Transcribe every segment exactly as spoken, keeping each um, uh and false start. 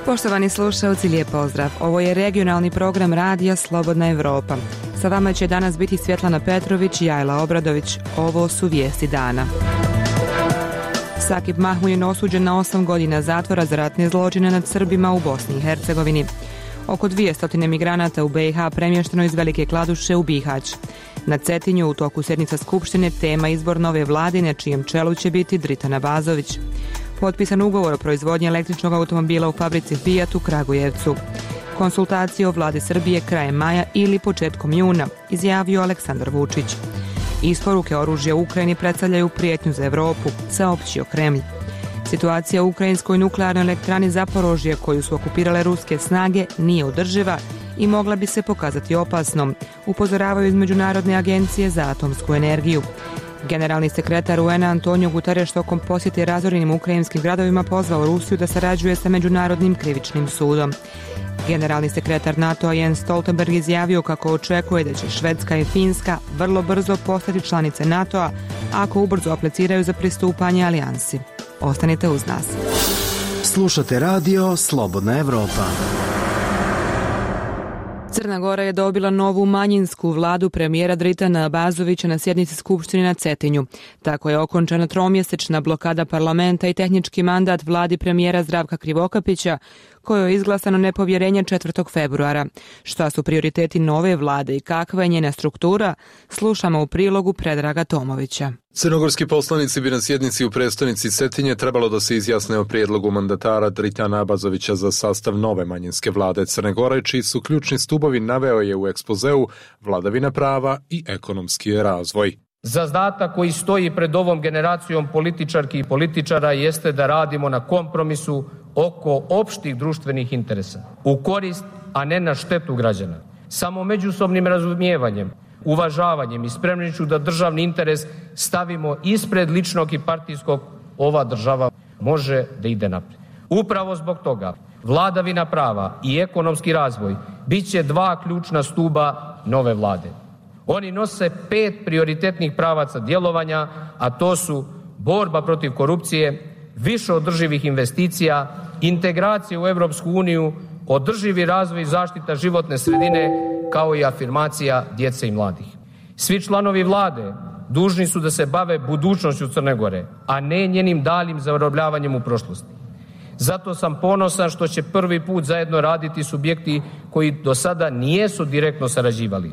Poštovani slušalci, lijep pozdrav. Ovo je regionalni program Radija Slobodna Evropa. Sa vama će danas biti Svjetlana Petrović i Ajla Obradović. Ovo su vijesti dana. Sakip Mahmudin osuđen na osam godina zatvora za ratne zločine nad Srbima u Bosni i Hercegovini. Oko dvjesto migranata u be i ha premješteno iz Velike Kladuše u Bihać. Na Cetinju u toku sjednica Skupštine tema izbor nove vlade na čijem čelu će biti Dritan Abazović. Potpisan ugovor o proizvodnji električnog automobila u fabrici Fiat u Kragujevcu. Konsultacije o vladi Srbije krajem maja ili početkom juna, izjavio Aleksandar Vučić. Isporuke oružja u Ukrajini predstavljaju prijetnju za Evropu, saopćio Kremlj. Situacija u ukrajinskoj nuklearnoj elektrani Zaporožje, koju su okupirale ruske snage, nije održiva i mogla bi se pokazati opasnom, upozoravaju iz Međunarodne agencije za atomsku energiju. Generalni sekretar u en a Antonio Guterres tokom posjete razorenim ukrajinskim gradovima pozvao Rusiju da sarađuje sa Međunarodnim krivičnim sudom. Generalni sekretar NATO-a Jens Stoltenberg izjavio kako očekuje da će Švedska i Finska vrlo brzo postati članice NATO-a ako ubrzo apliciraju za pristupanje alijansi. Ostanite uz nas. Slušate radio Slobodna Evropa. Crna Gora je dobila novu manjinsku vladu premijera Dritana Abazovića na sjednici Skupštine na Cetinju. Tako je okončana tromjesečna blokada parlamenta i tehnički mandat vladi premijera Zdravka Krivokapića, kojoj je izglasano nepovjerenje četvrtog februara. Šta su prioriteti nove vlade i kakva je njena struktura, slušamo u prilogu Predraga Tomovića. Crnogorski poslanici bi na sjednici u prestonici Cetinje trebalo da se izjasne o prijedlogu mandatara Dritana Abazovića za sastav nove manjinske vlade Crne Gore, čiji su ključni stubovi, naveo je u ekspozeu, vladavina prava i ekonomski razvoj. Zadatak koji stoji pred ovom generacijom političarki i političara jeste da radimo na kompromisu oko opštih društvenih interesa, u korist, a ne na štetu građana. Samo međusobnim razumijevanjem, uvažavanjem i spremnošću da državni interes stavimo ispred ličnog i partijskog, ova država može da ide naprijed. Upravo zbog toga vladavina prava i ekonomski razvoj bit će dva ključna stuba nove vlade. Oni nose pet prioritetnih pravaca djelovanja, a to su borba protiv korupcije, više održivih investicija, integracija u Europsku uniju, održivi razvoj i zaštita životne sredine, kao i afirmacija djece i mladih. Svi članovi vlade dužni su da se bave budućnošću Crne Gore, a ne njenim daljim zarobljavanjem u prošlosti. Zato sam ponosan što će prvi put zajedno raditi subjekti koji do sada nijesu direktno sarađivali,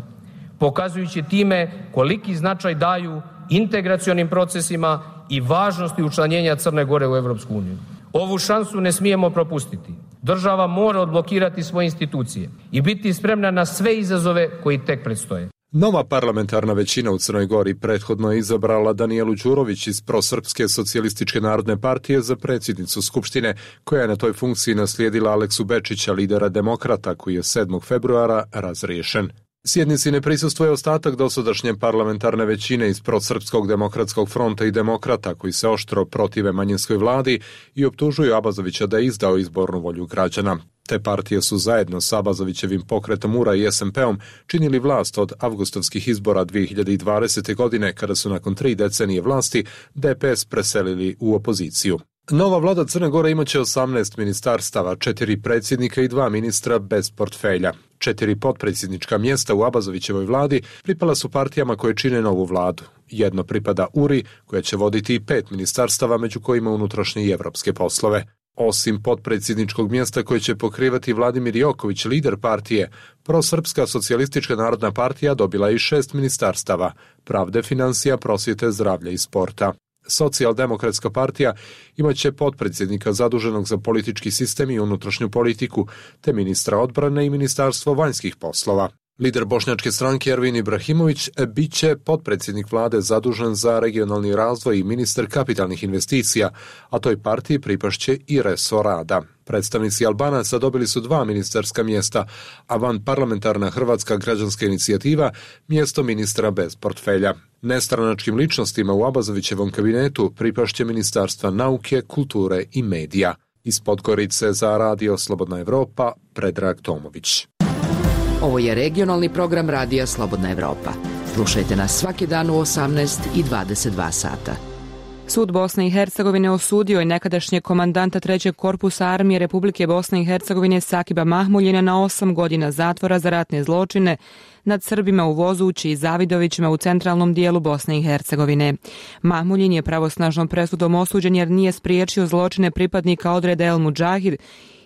pokazujući time koliki značaj daju integracionim procesima i važnosti učlanjenja Crne Gore u Europsku uniju. Ovu šansu ne smijemo propustiti. Država mora odblokirati svoje institucije i biti spremna na sve izazove koji tek predstoje. Nova parlamentarna većina u Crnoj Gori prethodno je izabrala Danijelu Đurović iz Prosrpske socijalističke narodne partije za predsjednicu Skupštine, koja je na toj funkciji naslijedila Aleksu Bečića, lidera demokrata, koji je sedmog februara razriješen. Sjednici ne prisustvuje ostatak dosadašnje parlamentarne većine iz Prosrpskog demokratskog fronta i demokrata, koji se oštro protive manjinskoj vladi i optužuju Abazovića da je izdao izbornu volju građana. Te partije su zajedno s Abazovićevim pokretom U R A i es em pe-om činili vlast od avgustovskih izbora dvije hiljade dvadesete. godine, kada su nakon tri decenije vlasti de pe es preselili u opoziciju. Nova vlada Crne Gore imaće osamnaest ministarstava, četiri predsjednika i dva ministra bez portfelja. Četiri potpredsjednička mjesta u Abazovićevoj vladi pripala su partijama koje čine novu vladu. Jedno pripada U R I, koja će voditi i pet ministarstava, među kojima unutrašnje i evropske poslove. Osim potpredsjedničkog mjesta koje će pokrivati Vladimir Joković, lider partije, Prosrpska socijalistička narodna partija dobila i šest ministarstava, pravde, financija, prosvjete, zdravlja i sporta. Socijaldemokratska partija imaće potpredsjednika zaduženog za politički sistem i unutrašnju politiku, te ministra odbrane i ministarstvo vanjskih poslova. Lider bošnjačke stranke Ervin Ibrahimović bit će potpredsjednik vlade zadužen za regionalni razvoj i ministar kapitalnih investicija, a toj partiji pripašće i resor rada. Predstavnici Albanaca dobili su dva ministarska mjesta, a vanparlamentarna Hrvatska građanska inicijativa mjesto ministra bez portfelja. Nestranačkim ličnostima u Abazovićevom kabinetu pripašće ministarstva nauke, kulture i medija. Iz Podgorice za radio Slobodna Evropa, Predrag Tomović. Ovo je regionalni program Radija Slobodna Evropa. Slušajte nas svaki dan u osamnaest i dvadeset dva sata. Sud Bosne i Hercegovine osudio je nekadašnjeg komandanta trećeg korpusa armije Republike Bosne i Hercegovine Sakiba Mahmuljina na osam godina zatvora za ratne zločine nad Srbima u Vozući i Zavidovićima u centralnom dijelu Bosne i Hercegovine. Mahmuljin je pravosnažnom presudom osuđen jer nije spriječio zločine pripadnika odreda El Mudžahid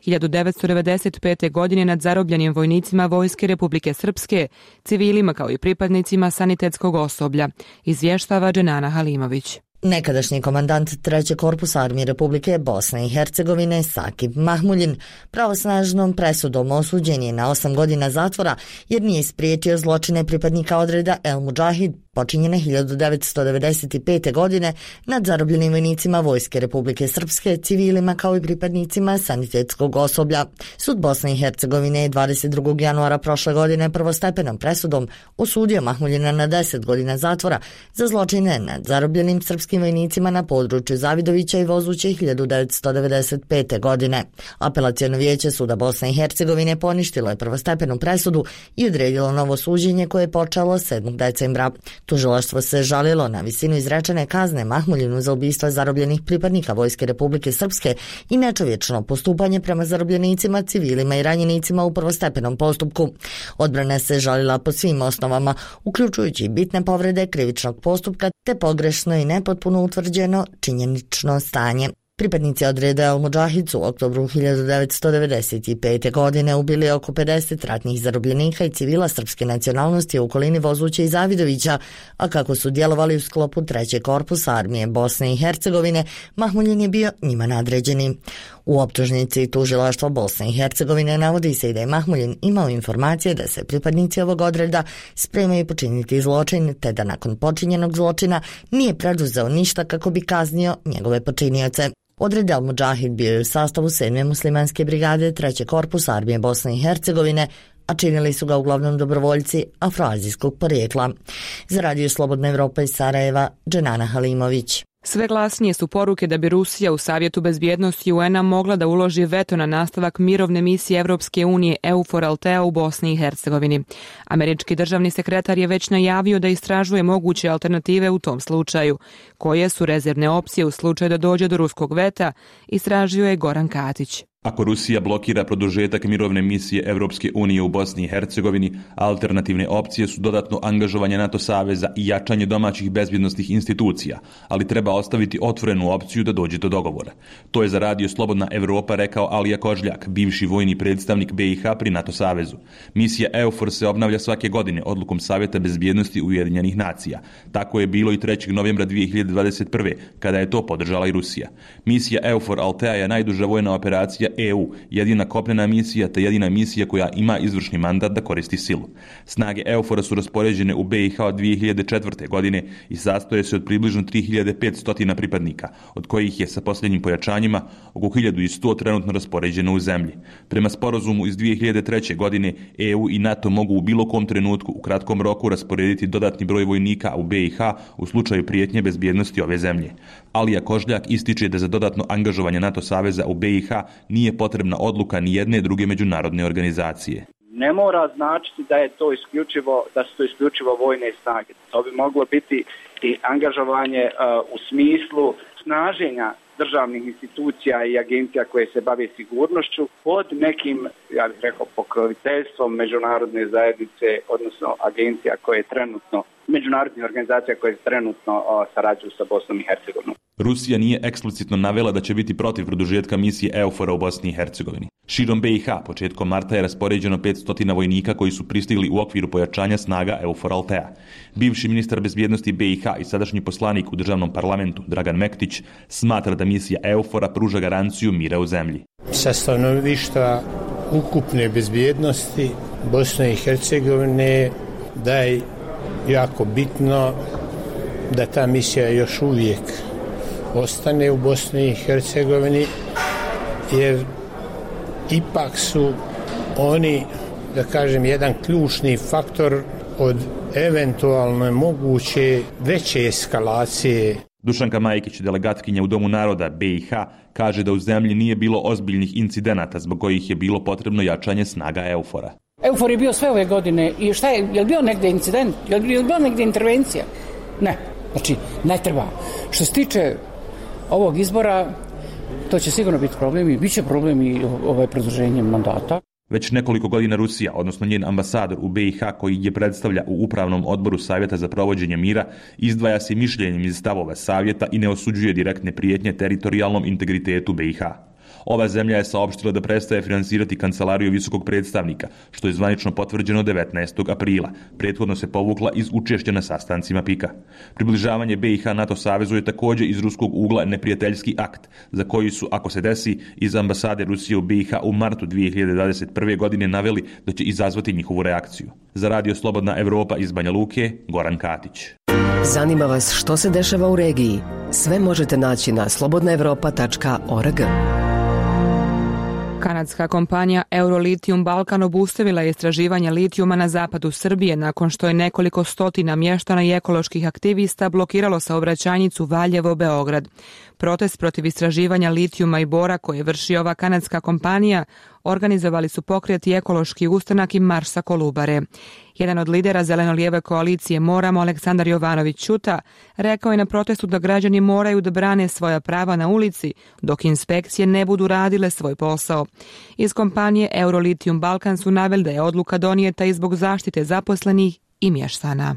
hiljadu devetsto devedeset pete. godine nad zarobljenim vojnicima Vojske Republike Srpske, civilima kao i pripadnicima sanitetskog osoblja, izvještava Dženana Halimović. Nekadašnji komandant trećeg korpusa armije Republike Bosne i Hercegovine Sakib Mahmuljin pravosnažnom presudom osuđen je na osam godina zatvora jer nije spriječio zločine pripadnika odreda El Mudžahid počinjene hiljadu devetsto devedeset pete. godine nad zarobljenim vojnicima Vojske Republike Srpske, civilima kao i pripadnicima sanitetskog osoblja. Sud Bosne i Hercegovine je dvadeset drugog januara prošle godine prvostepenom presudom osudio Mahmuljina na deset godina zatvora za zločine nad zarobljenim srpskim vojnicima na području Zavidovića i Vozuće hiljadu devetsto devedeset pete. godine. Apelaciono vijeće Suda Bosne i Hercegovine poništilo je prvostepenu presudu i odredilo novo suđenje koje je počelo sedmog decembra. Tužilaštvo se žalilo na visinu izrečene kazne Mahmuljinu za ubistva zarobljenih pripadnika Vojske Republike Srpske i nečovječno postupanje prema zarobljenicima, civilima i ranjenicima u prvostepenom postupku. Odbrana se žalila po svim osnovama, uključujući bitne povrede krivičnog postupka te pogrešno i nepotpuno utvrđeno činjenično stanje. Pripadnici odreda El Mudžahid su u oktobru hiljadu devetsto devedeset pete. godine ubili oko pedeset ratnih zarobljenika i civila srpske nacionalnosti u okolini Vozuća i Zavidovića, a kako su djelovali u sklopu trećeg korpusa armije Bosne i Hercegovine, Mahmuljin je bio njima nadređeni. U optužnici tužilaštva Bosne i Hercegovine navodi se i da je Mahmuljin imao informacije da se pripadnici ovog odreda spremaju počiniti zločin, te da nakon počinjenog zločina nije preduzeo ništa kako bi kaznio njegove počinioce. Odred El Mudžahid bio je u sastavu sedme muslimanske brigade trećeg korpusa armije Bosne i Hercegovine, a činili su ga uglavnom dobrovoljci afroazijskog porijekla. Za Radio Slobodna Evropa iz Sarajeva, Dženana Halimović. Sve glasnije su poruke da bi Rusija u Savjetu bezbjednosti U N-a mogla da uloži veto na nastavak mirovne misije Evropske unije EUFOR Althea u Bosni i Hercegovini. Američki državni sekretar je već najavio da istražuje moguće alternative u tom slučaju. Koje su rezervne opcije u slučaju da dođe do ruskog veta, istražio je Goran Katić. Ako Rusija blokira produžetak mirovne misije Evropske unije u Bosni i Hercegovini, alternativne opcije su dodatno angažovanje NATO saveza i jačanje domaćih bezbjednosnih institucija, ali treba ostaviti otvorenu opciju da dođe do dogovora. To je za Radio Slobodna Evropa rekao Alija Kožljak, bivši vojni predstavnik B i H pri NATO savezu. Misija EUFOR se obnavlja svake godine odlukom Savjeta bezbjednosti Ujedinjenih nacija. Tako je bilo i trećeg novembra dvije hiljade dvadeset prve. kada je to podržala i Rusija. Misija EUFOR Althea je najduža vojna operacija E U, jedina kopnena misija te jedina misija koja ima izvršni mandat da koristi silu. Snage EUFOR-a su raspoređene u B i H od dvije hiljade četvrte. godine i sastoje se od približno tri hiljade petsto pripadnika, od kojih je sa posljednjim pojačanjima oko hiljadu sto trenutno raspoređeno u zemlji. Prema sporazumu iz dvije hiljade treće. godine E U i NATO mogu u bilo kom trenutku u kratkom roku rasporediti dodatni broj vojnika u B i H u slučaju prijetnje bezbjednosti ove zemlje. Alija Kožljak ističe da za dodatno angažovanje NATO saveza u B i H nije potrebna odluka ni jedne druge međunarodne organizacije. Ne mora značiti da je to isključivo, da su to isključivo vojne snage. To bi moglo biti i angažovanje uh, u smislu snaženja državnih institucija i agencija koje se bave sigurnošću pod nekim, ja bih rekao, pokroviteljstvom međunarodne zajednice, odnosno agencija koje trenutno, međunarodnih organizacija koje trenutno o, sarađuju sa Bosnom i Hercegovinom. Rusija nije eksplicitno navela da će biti protiv produžetka misije EUFOR-a u Bosni i Hercegovini. Širom B i H početkom marta je raspoređeno petsto vojnika koji su pristigli u okviru pojačanja snaga EUFOR Althea. Bivši ministar bezbjednosti B i H i sadašnji poslanik u državnom parlamentu Dragan Mektić smatra da misija EUFOR-a pruža garanciju mira u zemlji. Sa stanovišta ukupne bezbjednosti Bosne i Hercegovine da je jako bitno da ta misija još uvijek ostane u Bosni i Hercegovini, jer ipak su oni, da kažem, jedan ključni faktor od eventualno moguće veće eskalacije. Dušanka Majkić, delegatkinja u Domu naroda B i H, kaže da u zemlji nije bilo ozbiljnih incidenata zbog kojih je bilo potrebno jačanje snaga EUFOR-a. EUFOR je bio sve ove godine i šta je, je li bio negdje incident, je li bio negdje intervencija? Ne, znači ne treba. Što se tiče ovog izbora, to će sigurno biti problem i bit će problem i ovaj produženje mandata. Već nekoliko godina Rusija, odnosno njen ambasador u B i H koji je predstavlja u upravnom odboru Savjeta za provođenje mira, izdvaja se mišljenjem iz stavova Savjeta i ne osuđuje direktne prijetnje teritorijalnom integritetu B i H. Ova zemlja je saopštila da prestaje finansirati kancelariju visokog predstavnika, što je zvanično potvrđeno devetnaestog aprila. Prethodno se povukla iz učešća na sastancima P I K-a. Približavanje B i H NATO savezu je također iz ruskog ugla neprijateljski akt, za koji su, ako se desi, iz ambasade Rusije u B i H u martu dvije hiljade dvadeset prve. godine naveli da će izazvati njihovu reakciju. Za Radio Slobodna Evropa iz Banja Luke, Goran Katić. Zanima vas što se dešava u regiji? Sve možete naći na slobodna evropa tačka org. Kanadska kompanija Eurolithium Balkan obustavila je istraživanje litijuma na zapadu Srbije nakon što je nekoliko stotina mještana i ekoloških aktivista blokiralo saobraćajnicu Valjevo-Beograd. Protest protiv istraživanja litijuma i bora koje vrši ova kanadska kompanija organizovali su pokret i ekološki ustanak i marš sa Kolubare. Jedan od lidera zeleno-lijeve koalicije Moramo, Aleksandar Jovanović Ćuta, rekao je na protestu da građani moraju da brane svoja prava na ulici dok inspekcije ne budu radile svoj posao. Iz kompanije Eurolithium Balkan su naveli da je odluka donijeta i zbog zaštite zaposlenih i mještana.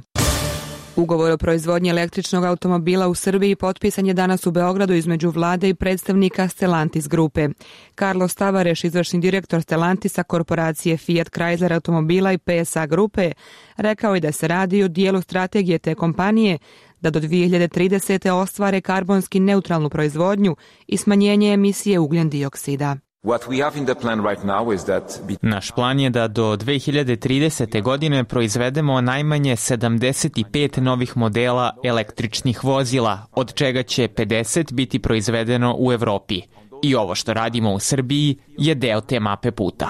Ugovor o proizvodnji električnog automobila u Srbiji potpisan je danas u Beogradu između vlade i predstavnika Stellantis grupe. Carlos Tavares, izvršni direktor Stellantisa, korporacije Fiat Chrysler automobila i P S A grupe, rekao je da se radi o dijelu strategije te kompanije da do dvije hiljade tridesete. ostvare karbonski neutralnu proizvodnju i smanjenje emisije ugljen dioksida. Naš plan je da do dvije hiljade tridesete. godine proizvedemo najmanje sedamdeset pet novih modela električnih vozila, od čega će pedeset biti proizvedeno u Evropi. I ovo što radimo u Srbiji je deo te mape puta.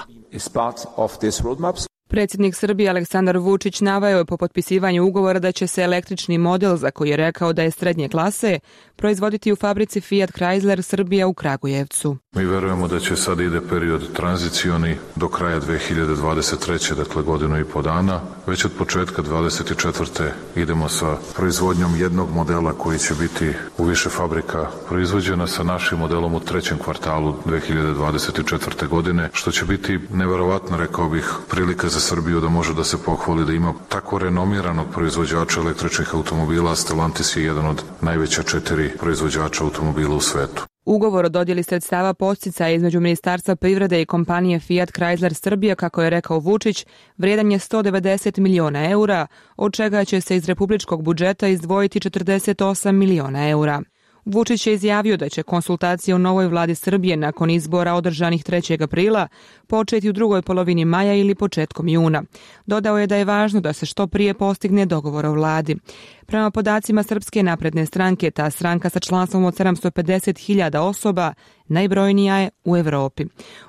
Predsjednik Srbije Aleksandar Vučić naveo je po potpisivanju ugovora da će se električni model, za koji je rekao da je srednje klase, proizvoditi u fabrici Fiat Chrysler Srbija u Kragujevcu. Mi verujemo da će sad ide period tranzicioni do kraja dvije hiljade dvadeset treće. dakle godinu i po dana. Već od početka dvadeset četvrte. idemo sa proizvodnjom jednog modela koji će biti u više fabrika proizvođena sa našim modelom u trećem kvartalu dvije hiljade dvadeset četvrte. godine, što će biti neverovatno, rekao bih, prilika za Srbiju da može da se pohvali da ima tako renomiranog proizvođača električnih automobila. Stellantis je jedan od najveća četiri proizvođača automobila u svetu. Ugovor o dodjeli sredstava podsticaja između Ministarstva privrede i kompanije Fiat Chrysler Srbija, kako je rekao Vučić, vrijedan je sto devedeset miliona eura, od čega će se iz republičkog budžeta izdvojiti četrdeset osam miliona eura. Vučić je izjavio da će konsultacije u novoj vladi Srbije nakon izbora održanih trećeg aprila početi u drugoj polovini maja ili početkom juna. Dodao je da je važno da se što prije postigne dogovor o vladi. Prema podacima Srpske napredne stranke, ta stranka sa članstvom od sedamsto pedeset hiljada osoba najbrojnija je u Evropi.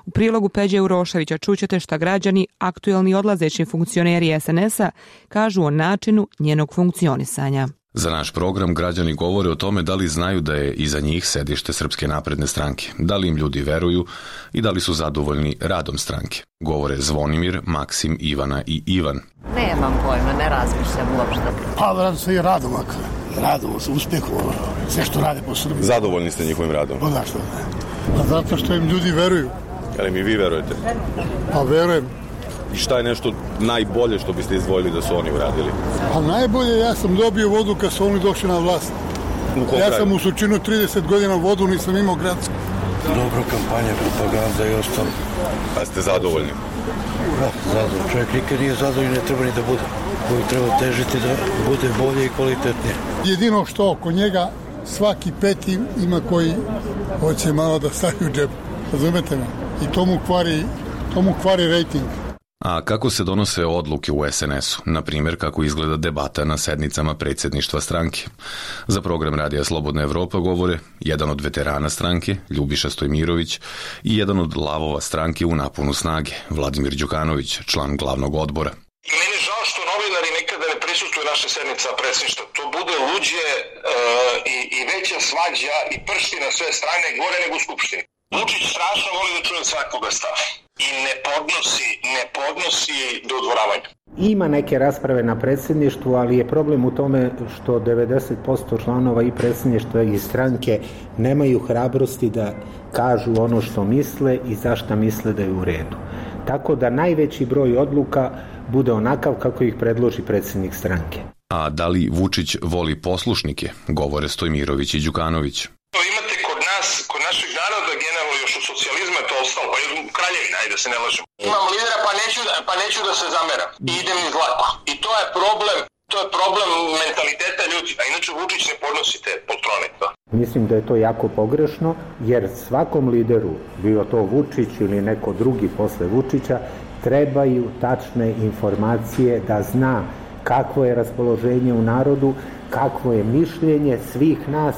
U prilogu Peđe Uroševića čućete šta građani, aktuelni odlazeći funkcioneri S N S-a, kažu o načinu njenog funkcionisanja. Za naš program građani govore o tome da li znaju da je iza njih sedište Srpske napredne stranke, da li im ljudi veruju i da li su zadovoljni radom stranke. Govore Zvonimir, Maksim, Ivana i Ivan. Nemam pojma, ne razmišljam uopšte. Pa radi se i radom, radom, uspjehu, sve što rade po Srbiji. Zadovoljni ste njihovim radom? Pa da, što ne. Pa zato što im ljudi veruju. Ali mi vi verujete? Pa verujem. I šta je nešto najbolje što biste izdvojili da su oni uradili? A najbolje, ja sam dobio vodu kad su oni došli na vlast. Ja sam u Surčinu trideset godina vodu nisam imao gradsku. Dobra kampanja, propaganda i ostalo. A ste zadovoljni? Da, zadovoljni. Čovjek nikad nije zadovoljni, ne treba ni da bude. Uvijek treba težiti da bude bolje i kvalitetnije. Jedino što oko njega svaki peti ima koji hoće malo da stavi u džep. Razumete me? I to mu kvari, to mu kvari rejting. A kako se donose odluke u S N S-u? Na primjer, kako izgleda debata na sednicama predsjedništva stranke? Za program Radija Slobodna Evropa govore jedan od veterana stranke, Ljubiša Stojmirović, i jedan od lavova stranke u naponu snage, Vladimir Đukanović, član glavnog odbora. Meni je žao što novinari nikada ne prisustvuju naše sednice predsjedništva. To bude luđe uh, i, i veća svađa i pršti na sve strane, gore nego u Skupštini. Vučić strašno voli da čuje svakoga stava. i ne podnosi, ne podnosi dodvoravanje. Ima neke rasprave na predsjedništvu, ali je problem u tome što devedeset posto članova i predsjedništva i stranke nemaju hrabrosti da kažu ono što misle i zašto misle da je u redu. Tako da najveći broj odluka bude onakav kako ih predloži predsjednik stranke. A da li Vučić voli poslušnike, govore Stojmirović i Đukanović. Imate kod nas, kod našeg naroda, generalno još u socijalizmu je to ostalo, pa je kraljevina, ajde da se ne lažemo. Imam lidera pa neću, pa neću da se zameram i idem iz lako. I to je problem, to je problem mentaliteta ljudi, a inače Vučić ne podnosi te poltrone. Da. Mislim da je to jako pogrešno, jer svakom lideru, bio to Vučić ili neko drugi posle Vučića, trebaju tačne informacije da zna kakvo je raspoloženje u narodu, kakvo je mišljenje svih nas,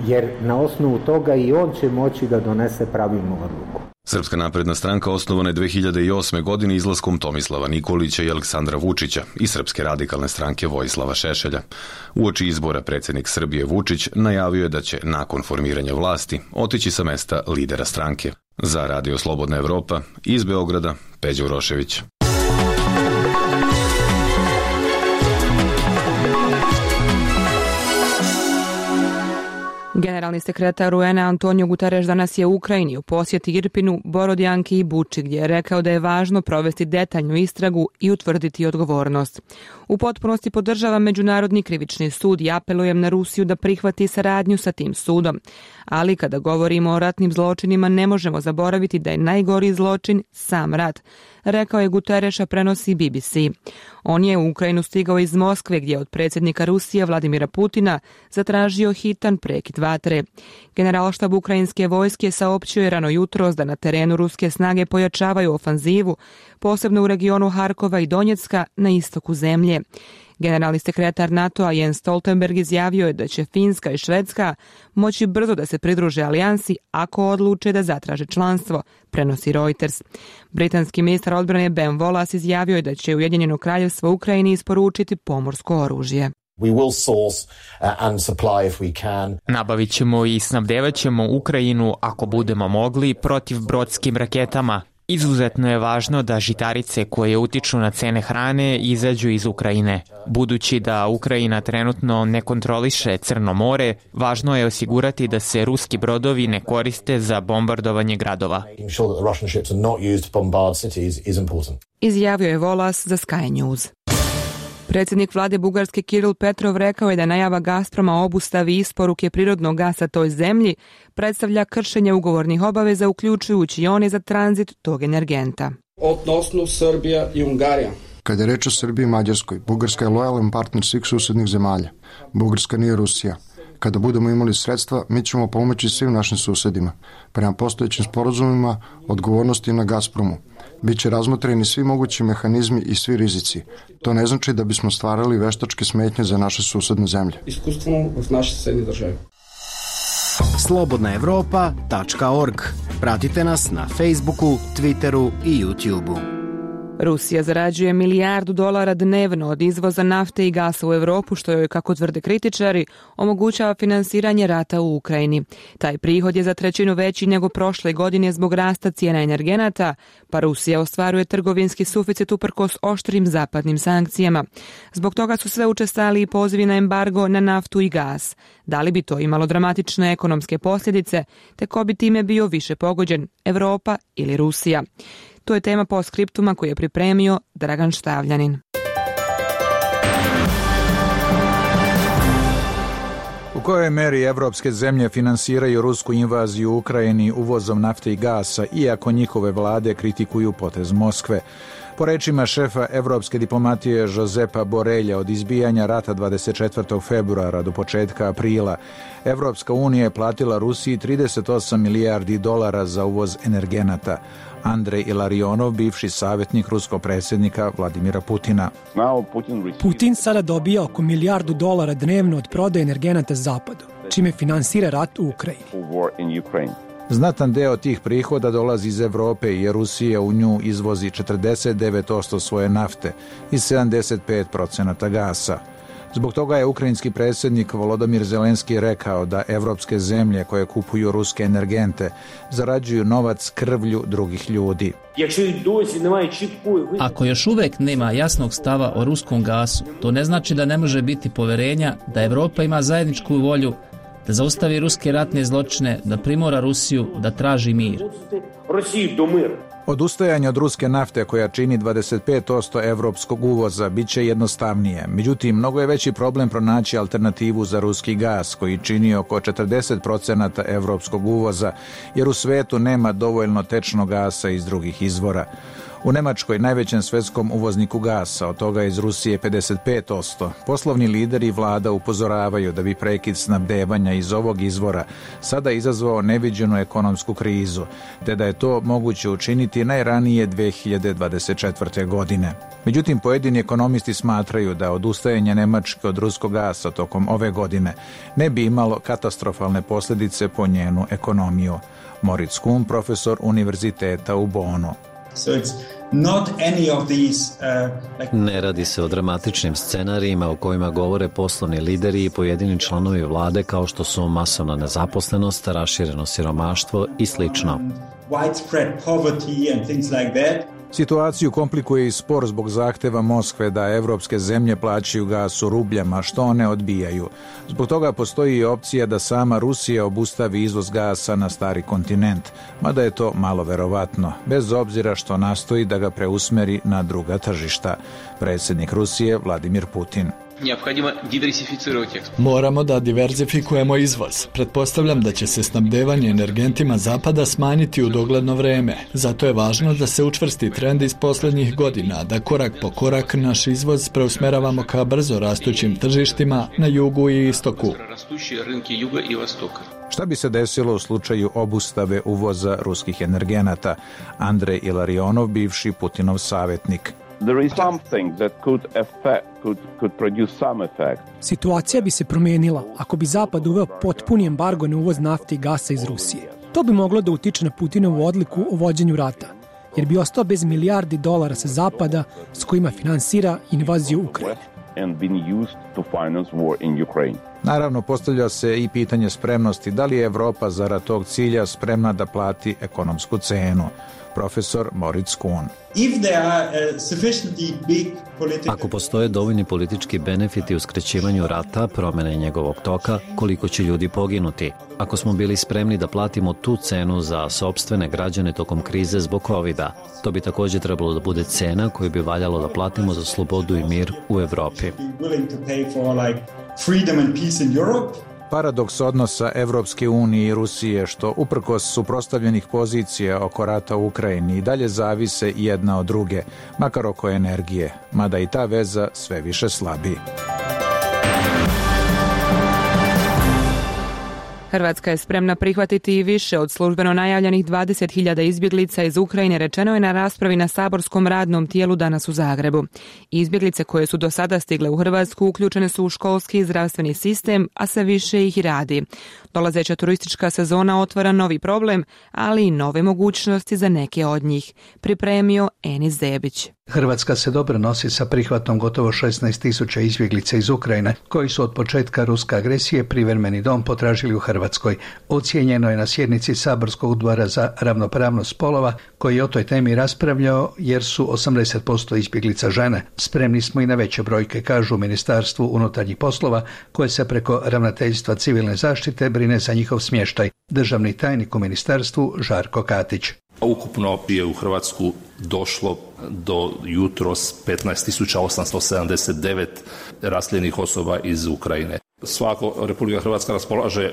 jer na osnovu toga i on će moći da donese pravilnu odluku. Srpska napredna stranka osnovana je dve hiljade osme. godine izlaskom Tomislava Nikolića i Aleksandra Vučića i Srpske radikalne stranke Vojislava Šešelja. Uoči izbora predsjednik Srbije Vučić najavio je da će nakon formiranja vlasti otići sa mesta lidera stranke. Za Radio Slobodna Evropa iz Beograda Peđa Urošević. Generalni sekretar U N A Antonio Guterres danas je u Ukrajini u posjeti Irpinu, Borodjanki i Buči, gdje je rekao da je važno provesti detaljnu istragu i utvrditi odgovornost. U potpunosti podržava Međunarodni krivični sud i apelujem na Rusiju da prihvati saradnju sa tim sudom. Ali kada govorimo o ratnim zločinima ne možemo zaboraviti da je najgori zločin sam rat, rekao je Guterres, prenosi B B C. On je u Ukrajinu stigao iz Moskve gdje je od predsjednika Rusije Vladimira Putina zatražio hitan prekid vatre. Generalštab ukrajinske vojske saopćio je rano jutros da na terenu ruske snage pojačavaju ofanzivu, posebno u regionu Harkova i Donjecka na istoku zemlje. Generalni sekretar NATO-a Jens Stoltenberg izjavio je da će Finska i Švedska moći brzo da se pridruže alijansi ako odluče da zatraže članstvo, prenosi Reuters. Britanski ministar odbrane Ben Wallace izjavio je da će Ujedinjeno kraljevstvo Ukrajini isporučiti pomorsko oružje. We will source uh, and supply if we can. Nabavit ćemo i snabdevat ćemo Ukrajinu ako budemo mogli protiv brodskim raketama. Izuzetno je važno da žitarice koje utiču na cene hrane izađu iz Ukrajine. Budući da Ukrajina trenutno ne kontroliše Crno more, važno je osigurati da se ruski brodovi ne koriste za bombardovanje gradova. Izjavio je Volas za Sky News. Predsjednik vlade Bugarske Kiril Petrov rekao je da najava Gazproma o obustavi isporuke prirodnog gasa toj zemlji predstavlja kršenje ugovornih obaveza, uključujući i one za tranzit tog energenta. Odnosno Srbija i Ungarija. Kada je reč o Srbiji i Mađarskoj, Bugarska je lojalan partner svih susednih zemalja. Bugarska nije Rusija. Kada budemo imali sredstva, mi ćemo pomoći svim našim susedima. Prema postojećim sporazumima, odgovornosti na Gazpromu. Biće razmotreni svi mogući mehanizmi i svi rizici. To ne znači da bismo stvarali veštačke smetnje za naše susedne zemlje. Iskustveno v naše susedne države. slobodna evropa tačka org. Pratite nas na Facebooku, Twitteru i YouTubeu. Rusija zarađuje milijardu dolara dnevno od izvoza nafte i gasa u Europu, što joj, kako tvrde kritičari, omogućava finansiranje rata u Ukrajini. Taj prihod je za trećinu veći nego prošle godine zbog rasta cijena energenata, pa Rusija ostvaruje trgovinski suficit uprkos oštrim zapadnim sankcijama. Zbog toga su sve učestali i pozivi na embargo na naftu i gas. Da li bi to imalo dramatične ekonomske posljedice, te ko bi time bio više pogođen, Europa ili Rusija? To je tema postskriptuma koju je pripremio Dragan Štavljanin. U kojoj meri evropske zemlje finansiraju rusku invaziju u Ukrajini uvozom nafte i gasa, iako njihove vlade kritikuju potez Moskve? Po rečima šefa evropske diplomatije Josepa Borelja, od izbijanja rata dvadeset četvrtog februara do početka aprila, Evropska unija je platila Rusiji trideset osam milijardi dolara za uvoz energenata. Andrej Ilarionov, bivši savjetnik ruskog predsjednika Vladimira Putina. Putin sada dobija oko milijardu dolara dnevno od prodaje energenata zapadu, čime finansira rat u Ukrajini. Znatan deo tih prihoda dolazi iz Evrope jer Rusija u nju izvozi četrdeset devet posto svoje nafte i sedamdeset pet posto gasa. Zbog toga je ukrajinski predsjednik Volodymyr Zelenski rekao da evropske zemlje koje kupuju ruske energente zarađuju novac krvlju drugih ljudi. Ako još uvek nema jasnog stava o ruskom gasu, to ne znači da ne može biti poverenja da Evropa ima zajedničku volju da zaustavi ruske ratne zločine, da primora Rusiju da traži mir. Odustajanje od ruske nafte koja čini dvadeset pet posto evropskog uvoza bit će jednostavnije. Međutim, mnogo je veći problem pronaći alternativu za ruski gas koji čini oko četrdeset posto evropskog uvoza jer u svetu nema dovoljno tečnog gasa iz drugih izvora. U Nemačkoj, najvećem svetskom uvozniku gasa, od toga iz Rusije pedeset pet posto, poslovni lideri i vlada upozoravaju da bi prekid snabdevanja iz ovog izvora sada izazvao neviđenu ekonomsku krizu, te da je to moguće učiniti najranije dve hiljade dvadeset četvrte. godine. Međutim, pojedini ekonomisti smatraju da odustajanje Nemačke od ruskog gasa tokom ove godine ne bi imalo katastrofalne posljedice po njenu ekonomiju. Moritz Kuhn, profesor univerziteta u Bonu. So it's not any of these, uh, like... Ne radi se o dramatičnim scenarijima o kojima govore poslovni lideri i pojedini članovi vlade kao što su masovna nezaposlenost, rašireno siromaštvo i slično. Widespread poverty and things like that. Situaciju komplikuje i spor zbog zahteva Moskve da evropske zemlje plaćaju gas u rubljama, što one odbijaju. Zbog toga postoji i opcija da sama Rusija obustavi izvoz gasa na stari kontinent, mada je to malo verovatno, bez obzira što nastoji da ga preusmeri na druga tržišta. Predsjednik Rusije Vladimir Putin. Moramo da diverzifikujemo izvoz. Pretpostavljam da će se snabdevanje energentima zapada smanjiti u dogledno vreme. Zato je važno da se učvrsti trend iz posljednjih godina, da korak po korak naš izvoz preusmeravamo ka brzo rastućim tržištima na jugu i istoku. Šta bi se desilo u slučaju obustave uvoza ruskih energenata? Andrej Ilarionov, bivši Putinov savjetnik. There is something that could affect, could, could produce some effect. Situacija bi se promijenila ako bi Zapad uveo potpuni embargo na uvoz nafte i gasa iz Rusije. To bi moglo da utiče na Putinovu odluku o vođenju rata, jer bi ostao bez milijardi dolara sa Zapada s kojima finansira invaziju Ukrajine. And been used to finance war in Ukraine. Naravno, postavlja se i pitanje spremnosti da li je Evropa zarad tog cilja spremna da plati ekonomsku cenu. Profesor Moritz Kuhn. Ako postoje dovoljni politički benefiti u skraćivanju rata, promjene njegovog toka, koliko će ljudi poginuti? Ako smo bili spremni da platimo tu cenu za sopstvene građane tokom krize zbog kovida, to bi također trebalo da bude cena koju bi valjalo da platimo za slobodu i mir u Evropi. Paradoks odnosa Evropske unije i Rusije, što uprkos suprotstavljenih pozicija oko rata u Ukrajini i dalje zavise jedna od druge, makar oko energije, mada i ta veza sve više slabi. Hrvatska je spremna prihvatiti i više od službeno najavljenih dvadeset hiljada izbjeglica iz Ukrajine, rečeno je na raspravi na saborskom radnom tijelu danas u Zagrebu. Izbjeglice koje su do sada stigle u Hrvatsku uključene su u školski i zdravstveni sistem, a sve više ih radi. Dolazeća turistička sezona otvara novi problem, ali i nove mogućnosti za neke od njih. Pripremio Enis Zebić. Hrvatska se dobro nosi sa prihvatom gotovo šesnaest tisuća izbjeglica iz Ukrajine, koji su od početka ruske agresije privremeni dom potražili u Hrvatskoj. Ocijenjeno je na sjednici saborskog odbora za ravnopravnost spolova, koji je o toj temi raspravljao, jer su osamdeset posto izbjeglica žene. Spremni smo i na veće brojke, kažu u Ministarstvu unutarnjih poslova, koje se preko Ravnateljstva civilne zaštite brine za njihov smještaj. Državni tajnik u ministarstvu Žarko Katić. Ukupno je u Hrvatsku došlo do jutros petnaest tisuća osamsto sedamdeset devet raseljenih osoba iz Ukrajine. Svako Republika Hrvatska raspolaže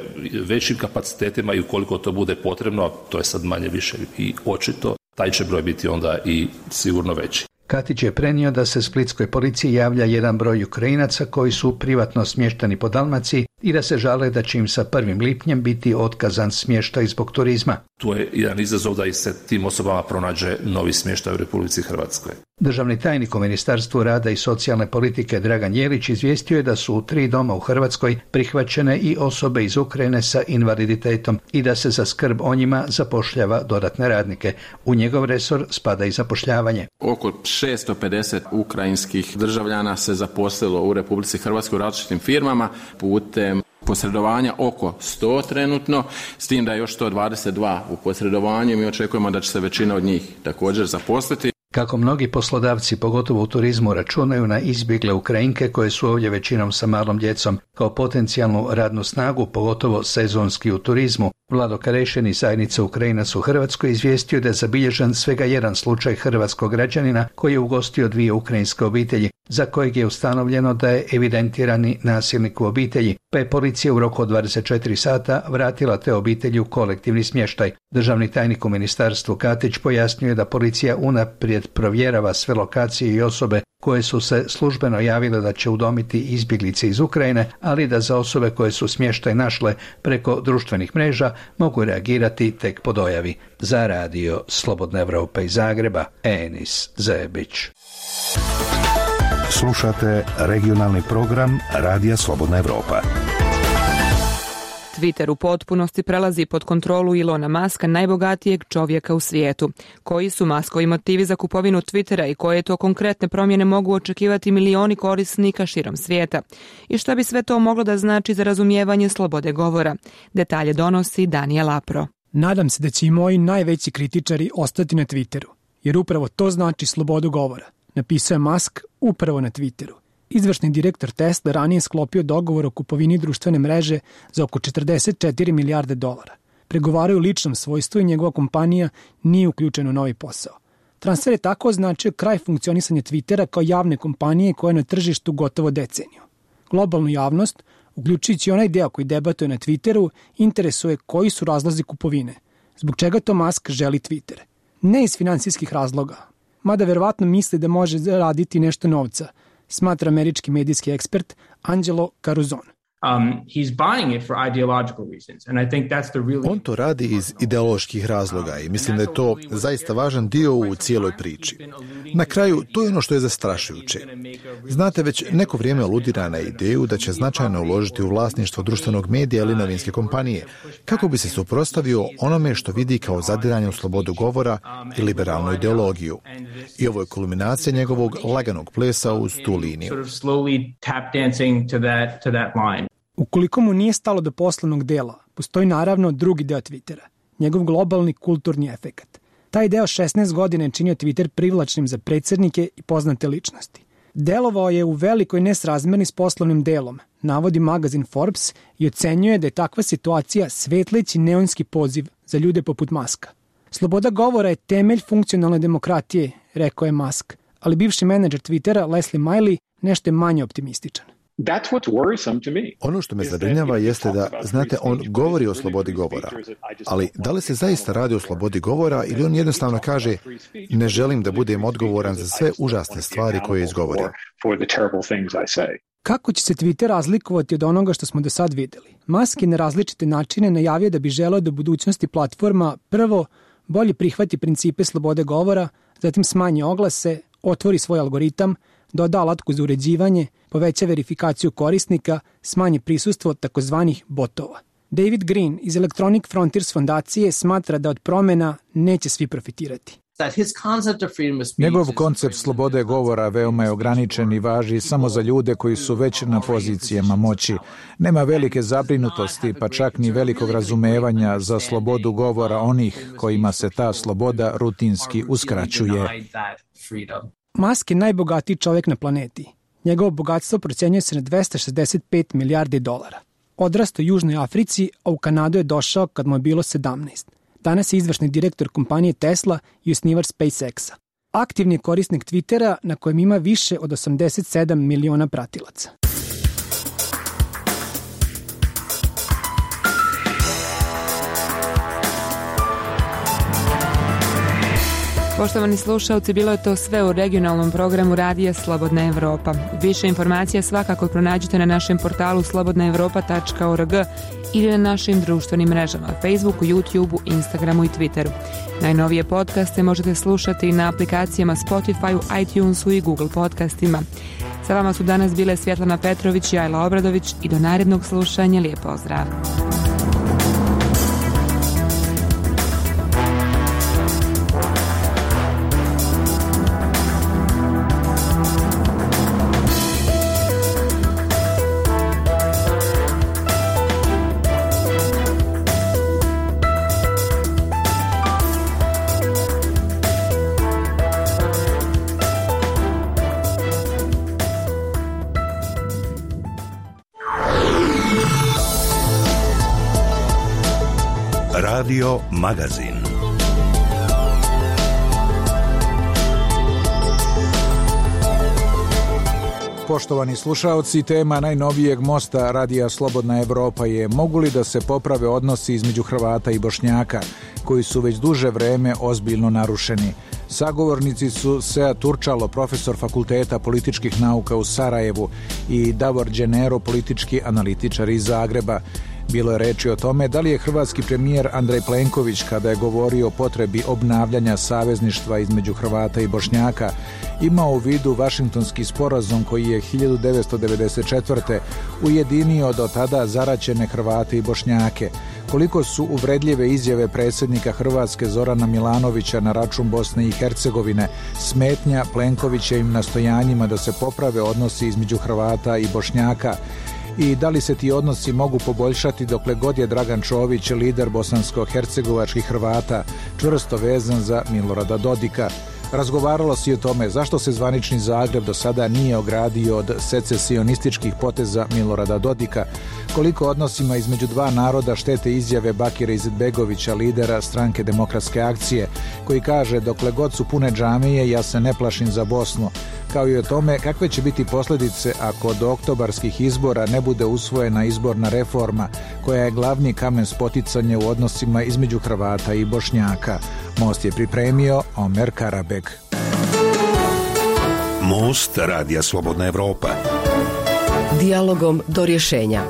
većim kapacitetima i ukoliko to bude potrebno, to je sad manje više i očito, taj će broj biti onda i sigurno veći. Katić je prenio da se splitskoj policiji javlja jedan broj Ukrajinaca koji su privatno smješteni po Dalmaciji i da se žale da će im sa prvim lipnjem biti otkazan smještaj zbog turizma. To je jedan izazov da i se tim osobama pronađe novi smještaj u Republici Hrvatskoj. Državni tajnik u Ministarstvu rada i socijalne politike Dragan Jelić izvijestio je da su u tri doma u Hrvatskoj prihvaćene i osobe iz Ukrajine sa invaliditetom i da se za skrb o njima zapošljava dodatne radnike. U njegov resor spada i zapošljavanje. Oko šesto pedeset ukrajinskih državljana se zaposlilo u Republici Hrvatskoj u različitim firmama putem posredovanja oko sto trenutno, s tim da je još sto dvadeset dva u posredovanju i mi očekujemo da će se većina od njih također zaposliti. Kako mnogi poslodavci, pogotovo u turizmu, računaju na izbjegle Ukrajinke koje su ovdje većinom sa malom djecom kao potencijalnu radnu snagu, pogotovo sezonski u turizmu, Vlado Karešin iz zajednice Ukrajinaca u Hrvatskoj izvijestio da je zabilježen svega jedan slučaj hrvatskog građanina koji je ugostio dvije ukrajinske obitelji, za kojeg je ustanovljeno da je evidentirani nasilnik u obitelji, pa je policija u roku od dvadeset četiri sata vratila te obitelji u kolektivni smještaj. Državni tajnik u ministarstvu Katić pojasnio je da policija unaprijed provjerava sve lokacije i osobe koje su se službeno javile da će udomiti izbjeglice iz Ukrajine, ali da za osobe koje su smještaj našle preko društvenih mreža mogu reagirati tek po dojavi. Za radio Slobodna Evropa iz Zagreba, Enis Zebić. Slušate regionalni program Radija Slobodna Evropa. Twitter u potpunosti prelazi pod kontrolu Ilona Muska, najbogatijeg čovjeka u svijetu. Koji su Muskovi motivi za kupovinu Twittera i koje to konkretne promjene mogu očekivati milioni korisnika širom svijeta? I šta bi sve to moglo da znači za razumijevanje slobode govora? Detalje donosi Daniel Apro. Nadam se da će i moji najveći kritičari ostati na Twitteru, jer upravo to znači slobodu govora, napisao je Musk upravo na Twitteru. Izvršni direktor Tesla ranije sklopio dogovor o kupovini društvene mreže za oko četrdeset četiri milijarde dolara. Pregovaraju u ličnom svojstvu i njegova kompanija nije uključena u novi posao. Transfer je tako označio kraj funkcionisanja Twittera kao javne kompanije koja je na tržištu gotovo deceniju. Globalnu javnost, uključujući onaj deo koji debatuje na Twitteru, interesuje koji su razlozi kupovine. Zbog čega to Musk želi Twitter? Ne iz finansijskih razloga, mada verovatno misli da može zaraditi nešto novca, smatra američki medijski ekspert Angelo Caruzon. Um, he's buying it for ideological reasons, and I think that's the really... On to radi iz ideoloških razloga i mislim da je to zaista važan dio u cijeloj priči. Na kraju, to je ono što je zastrašujuće. Znate, već neko vrijeme aludira na ideju da će značajno uložiti u vlasništvo društvenog medija ili novinske kompanije, kako bi se suprotstavio onome što vidi kao zadiranje u slobodu govora i liberalnu ideologiju. I ovo je kulminacija njegovog laganog plesa uz tu liniju. Ukoliko mu nije stalo do poslovnog dela, postoji naravno drugi deo Twittera, njegov globalni kulturni efekat. Taj deo šesnaest godina je činio Twitter privlačnim za predsjednike i poznate ličnosti. Delovao je u velikoj nesrazmjerni s poslovnim delom, navodi magazin Forbes i ocenjuje da je takva situacija svetleći neonski poziv za ljude poput Muska. Sloboda govora je temelj funkcionalne demokratije, rekao je Musk, ali bivši menadžer Twittera Leslie Miley nešto je manje optimističan. Ono što me zabrinjava jeste da, znate, on govori o slobodi govora, ali da li se zaista radi o slobodi govora ili on jednostavno kaže ne želim da budem odgovoran za sve užasne stvari koje izgovorim. Kako će se Twitter razlikovati od onoga što smo do sad vidjeli? Musk je na različite načine najavio da bi želeo da u budućnosti platforma prvo bolje prihvati principe slobode govora, zatim smanji oglase, otvori svoj algoritam, doda alatku za uređivanje, poveća verifikaciju korisnika, smanji prisustvo takozvanih botova. David Green iz Electronic Frontiers fondacije smatra da od promjena neće svi profitirati. Njegov koncept slobode govora veoma je ograničen i važi samo za ljude koji su već na pozicijama moći. Nema velike zabrinutosti, pa čak ni velikog razumevanja za slobodu govora onih kojima se ta sloboda rutinski uskraćuje. Musk je najbogatiji čovjek na planeti. Njegovo bogatstvo procjenjuje se na dvesta šezdeset pet milijardi dolara. Odrastao u Južnoj Africi, a u Kanadu je došao kad mu je bilo sedamnaest. Danas je izvršni direktor kompanije Tesla i osnivač SpaceX-a. Aktivni je korisnik Twittera na kojem ima više od osamdeset sedam miliona pratilaca. Poštovani slušalci, bilo je to sve u regionalnom programu Radija Slobodna Evropa. Više informacija svakako pronađite na našem portalu slobodna evropa tačka org ili na našim društvenim mrežama Facebooku, YouTubeu, Instagramu i Twitteru. Najnovije podcaste možete slušati na aplikacijama Spotify, iTunesu i Google podcastima. Sa vama su danas bile Svjetlana Petrović i Ajla Obradović i do narednog slušanja lijep pozdrav. Radio Magazin. Poštovani slušaoci, tema najnovijeg mosta Radija Slobodna Evropa je mogu li da se poprave odnosi između Hrvata i Bošnjaka, koji su već duže vreme ozbiljno narušeni. Sagovornici su Sead Turčalo, profesor Fakulteta političkih nauka u Sarajevu, i Davor Đenero, politički analitičar iz Zagreba. Bilo je reči o tome da li je hrvatski premijer Andrej Plenković, kada je govorio o potrebi obnavljanja savezništva između Hrvata i Bošnjaka, imao u vidu Vašingtonski sporazum koji je hiljadu devetsto devedeset četvrte ujedinio do tada zaraćene Hrvate i Bošnjake. Koliko su uvredljive izjave predsjednika Hrvatske Zorana Milanovića na račun Bosne i Hercegovine smetnja Plenkovićevim nastojanjima da se poprave odnosi između Hrvata i Bošnjaka, i da li se ti odnosi mogu poboljšati dokle god je Dragan Čović, lider bosansko-hercegovačkih Hrvata, čvrsto vezan za Milorada Dodika. Razgovaralo se i o tome zašto se zvanični Zagreb do sada nije ogradio od secesionističkih poteza Milorada Dodika, koliko odnosima između dva naroda štete izjave Bakira Izetbegovića, lidera stranke Demokratske akcije, koji kaže dokle god su pune džamije ja se ne plašim za Bosnu, kao i o tome kakve će biti posljedice ako do oktobarskih izbora ne bude usvojena izborna reforma koja je glavni kamen spoticanja u odnosima između Hrvata i Bošnjaka. Most je pripremio Omer Karabek. Most Radija Slobodna Evropa. Dijalogom do rješenja.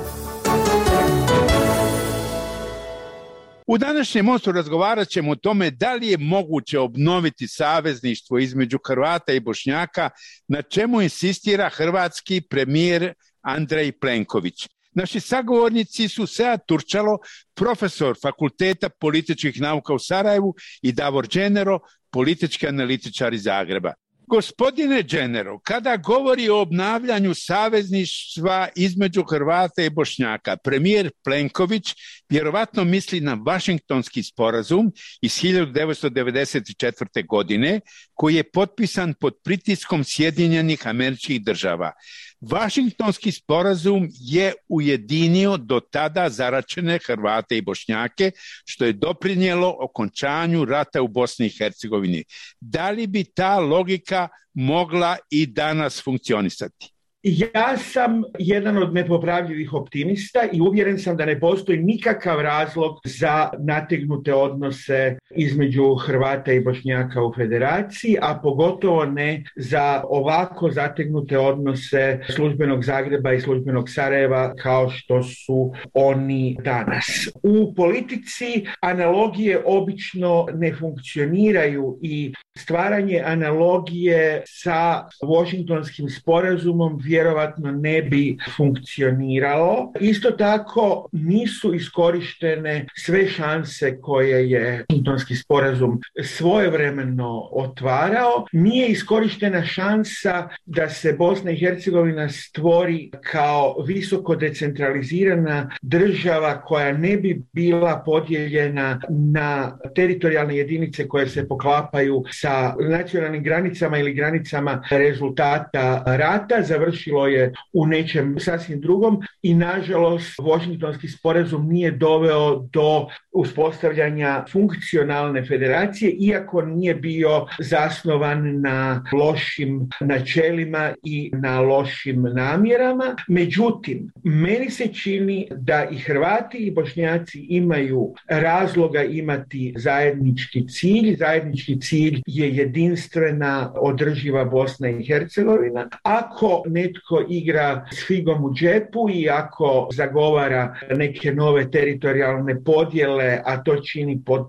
U današnjem mostu razgovarat ćemo o tome da li je moguće obnoviti savezništvo između Hrvata i Bošnjaka, na čemu insistira hrvatski premijer Andrej Plenković. Naši sagovornici su Sead Turčalo, profesor Fakulteta političkih nauka u Sarajevu, i Davor Đenero, politički analitičar iz Zagreba. Gospodine Đenero, kada govori o obnavljanju savezništva između Hrvata i Bošnjaka, premijer Plenković vjerovatno misli na Vašingtonski sporazum iz hiljadu devetsto devedeset četvrte. godine, koji je potpisan pod pritiskom Sjedinjenih Američkih Država. Vašingtonski sporazum je ujedinio do tada zaračene Hrvate i Bošnjake, što je doprinijelo okončanju rata u Bosni i Hercegovini. Da li bi ta logika mogla i danas funkcionisati? Ja sam jedan od nepopravljivih optimista i uvjeren sam da ne postoji nikakav razlog za nategnute odnose između Hrvata i Bošnjaka u federaciji, a pogotovo ne za ovako zategnute odnose službenog Zagreba i službenog Sarajeva kao što su oni danas. U politici analogije obično ne funkcioniraju i stvaranje analogije sa Washingtonskim sporazumom vjerovatno ne bi funkcioniralo. Isto tako nisu iskorištene sve šanse koje je Washingtonski sporazum svojevremeno otvarao. Nije iskorištena šansa da se Bosna i Hercegovina stvori kao visoko decentralizirana država koja ne bi bila podijeljena na teritorijalne jedinice koje se poklapaju sa nacionalnim granicama ili granicama rezultata rata. Završilo je u nečem sasvim drugom i nažalost Washingtonski sporazum nije doveo do uspostavljanja funkcionalne federacije, iako nije bio zasnovan na lošim načelima i na lošim namjerama. Međutim, meni se čini da i Hrvati i Bošnjaci imaju razloga imati zajednički cilj. Zajednički cilj je jedinstvena održiva Bosna i Hercegovina. Ako netko igra s figom u džepu i ako zagovara neke nove teritorijalne podjele, a to čini pod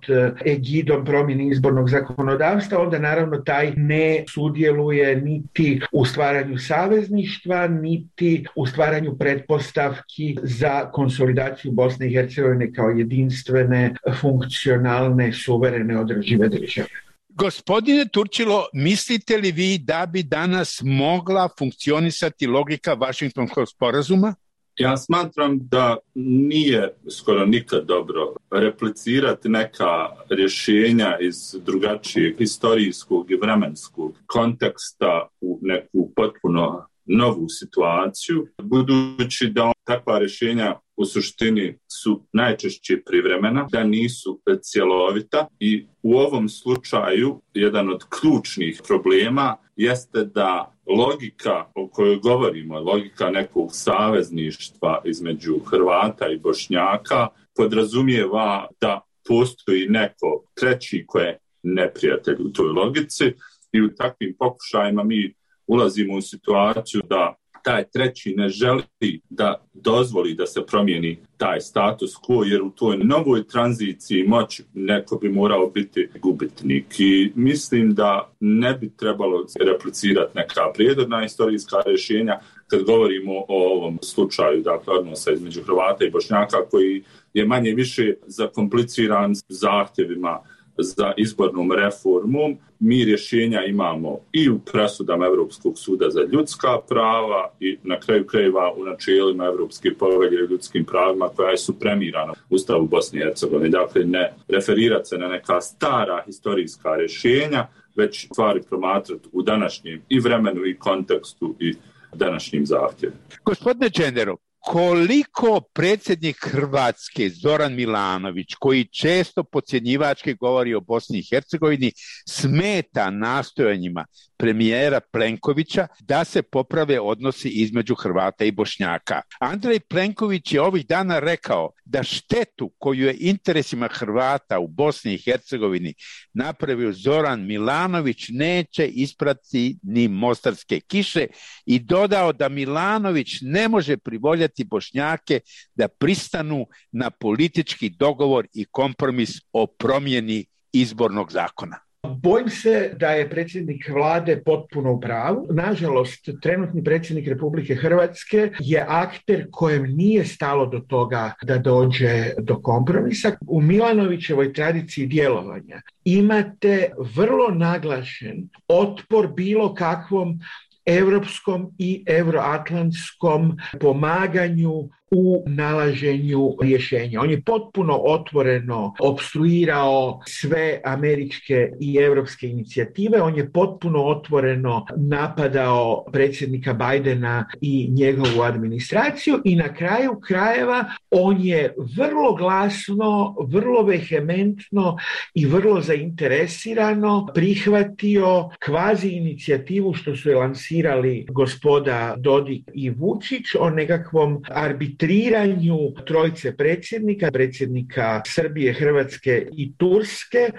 egidom promjene izbornog zakonodavstva, onda naravno taj ne sudjeluje niti u stvaranju savezništva, niti u stvaranju pretpostavki za konsolidaciju Bosne i Hercegovine kao jedinstvene, funkcionalne, suverene, održive države. Gospodine Turčilo, mislite li vi da bi danas mogla funkcionisati logika Vašingtonskog sporazuma? Ja smatram da nije skoro nikad dobro replicirati neka rješenja iz drugačijeg historijskog i vremenskog konteksta u neku potpuno novu situaciju, budući da takva rješenja u suštini su najčešće privremena, da nisu cjelovita i u ovom slučaju jedan od ključnih problema jeste da logika o kojoj govorimo, logika nekog savezništva između Hrvata i Bošnjaka podrazumijeva da postoji neko treći koji je neprijatelj u toj logici i u takvim pokušajima mi ulazimo u situaciju da taj treći ne želi da dozvoli da se promijeni taj status quo, jer u toj novoj tranziciji moći neko bi morao biti gubitnik. I mislim da ne bi trebalo replicirati neka prijedorna historijska rješenja kad govorimo o ovom slučaju, dakle odnosa između Hrvata i Bošnjaka, koji je manje više zakompliciran zahtjevima za izbornom reformom. Mi rješenja imamo i u presudama Europskog suda za ljudska prava i na kraju krajeva u načelima Europske povelje o ljudskim pravima koja je supremirana u Ustavu Bosne i Hercegovine. Dakle, ne referirati se na neka stara historijska rješenja, već stvari promatrati u današnjem i vremenu i kontekstu i današnjim zahtjevima. Gospodine Čenderov, koliko predsjednik Hrvatske Zoran Milanović, koji često podcjenjivački govori o Bosni i Hercegovini, smeta nastojanjima premijera Plenkovića da se poprave odnosi između Hrvata i Bošnjaka? Andrej Plenković je ovih dana rekao da štetu koju je interesima Hrvata u Bosni i Hercegovini napravio Zoran Milanović neće isprati ni mostarske kiše i dodao da Milanović ne može privoljati Bošnjake da pristanu na politički dogovor i kompromis o promjeni izbornog zakona. Bojim se da je predsjednik vlade potpuno u pravu. Nažalost, trenutni predsjednik Republike Hrvatske je akter kojem nije stalo do toga da dođe do kompromisa. U Milanovićevoj tradiciji djelovanja imate vrlo naglašen otpor bilo kakvom europskom i euroatlantskom pomaganju u nalaženju rješenja. On je potpuno otvoreno opstruirao sve američke i europske inicijative, on je potpuno otvoreno napadao predsjednika Bidena i njegovu administraciju i na kraju krajeva on je vrlo glasno, vrlo vehementno i vrlo zainteresirano prihvatio kvazi inicijativu što su je lansirali gospoda Dodik i Vučić o nekakvom arbitražu triranju trojice predsjednika, predsjednika Srbije, Hrvatske i Turske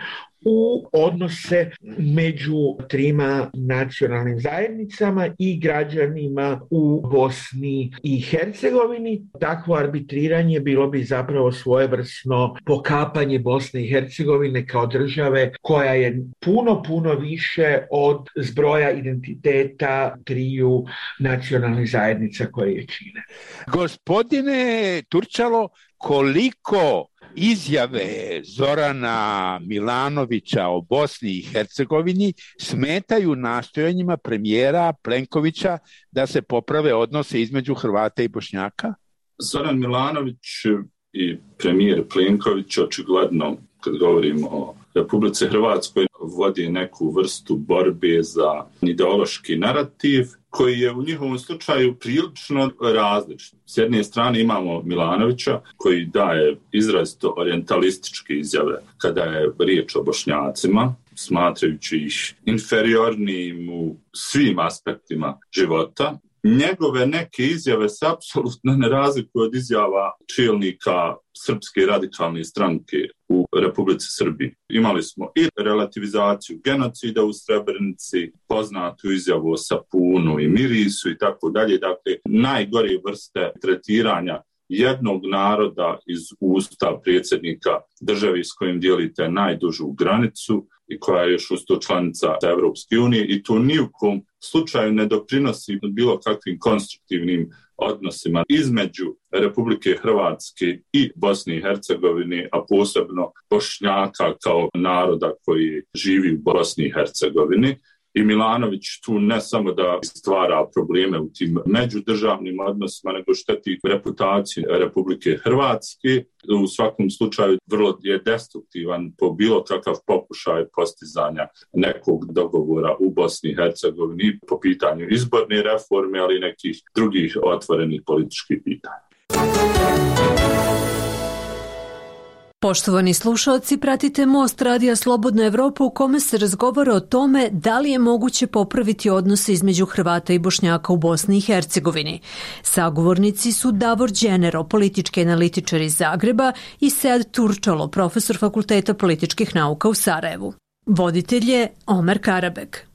u odnose među trima nacionalnim zajednicama i građanima u Bosni i Hercegovini. Takvo arbitriranje bilo bi zapravo svojevrsno pokapanje Bosne i Hercegovine kao države koja je puno, puno više od zbroja identiteta triju nacionalnih zajednica koje je čine. Gospodine Turčalo, koliko izjave Zorana Milanovića o Bosni i Hercegovini smetaju nastojanjima premijera Plenkovića da se poprave odnose između Hrvata i Bošnjaka? Zoran Milanović i premijer Plenković očigledno, kad govorimo o Republici Hrvatskoj, vodi neku vrstu borbe za ideološki narativ koji je u njihovom slučaju prilično različit. S jedne strane imamo Milanovića koji daje izrazito orijentalističke izjave kada je riječ o Bošnjacima, smatrajući ih inferiornim u svim aspektima života. njegove neke izjave se apsolutno ne razlikuju od izjava čelnika Srpske radikalne stranke u Republici Srbiji. Imali smo i relativizaciju genocida u Srebrenici, poznatu izjavu o sapunu i mirisu i tako dalje. Dakle, najgore vrste tretiranja jednog naroda iz usta predsjednika države s kojim dijelite najdužu granicu i koja je još usto članica Evropske unije i to ni u kom slučaju ne doprinosi bilo kakvim konstruktivnim odnosima između Republike Hrvatske i Bosne i Hercegovine, a posebno Bošnjaka kao naroda koji živi u Bosni i Hercegovini. I Milanović tu ne samo da stvara probleme u tim međudržavnim odnosima, nego šteti reputaciji Republike Hrvatske. U svakom slučaju vrlo je destruktivan po bilo kakav pokušaj postizanja nekog dogovora u Bosni i Hercegovini po pitanju izborne reforme, ali i nekih drugih otvorenih političkih pitanja. Poštovani slušalci, pratite Most Radija Slobodna Evropa u kome se razgovara o tome da li je moguće popraviti odnose između Hrvata i Bošnjaka u Bosni i Hercegovini. Sagovornici su Davor Đenero, politički analitičar iz Zagreba, i Sead Turčalo, profesor Fakulteta političkih nauka u Sarajevu. Voditelj je Omer Karabek.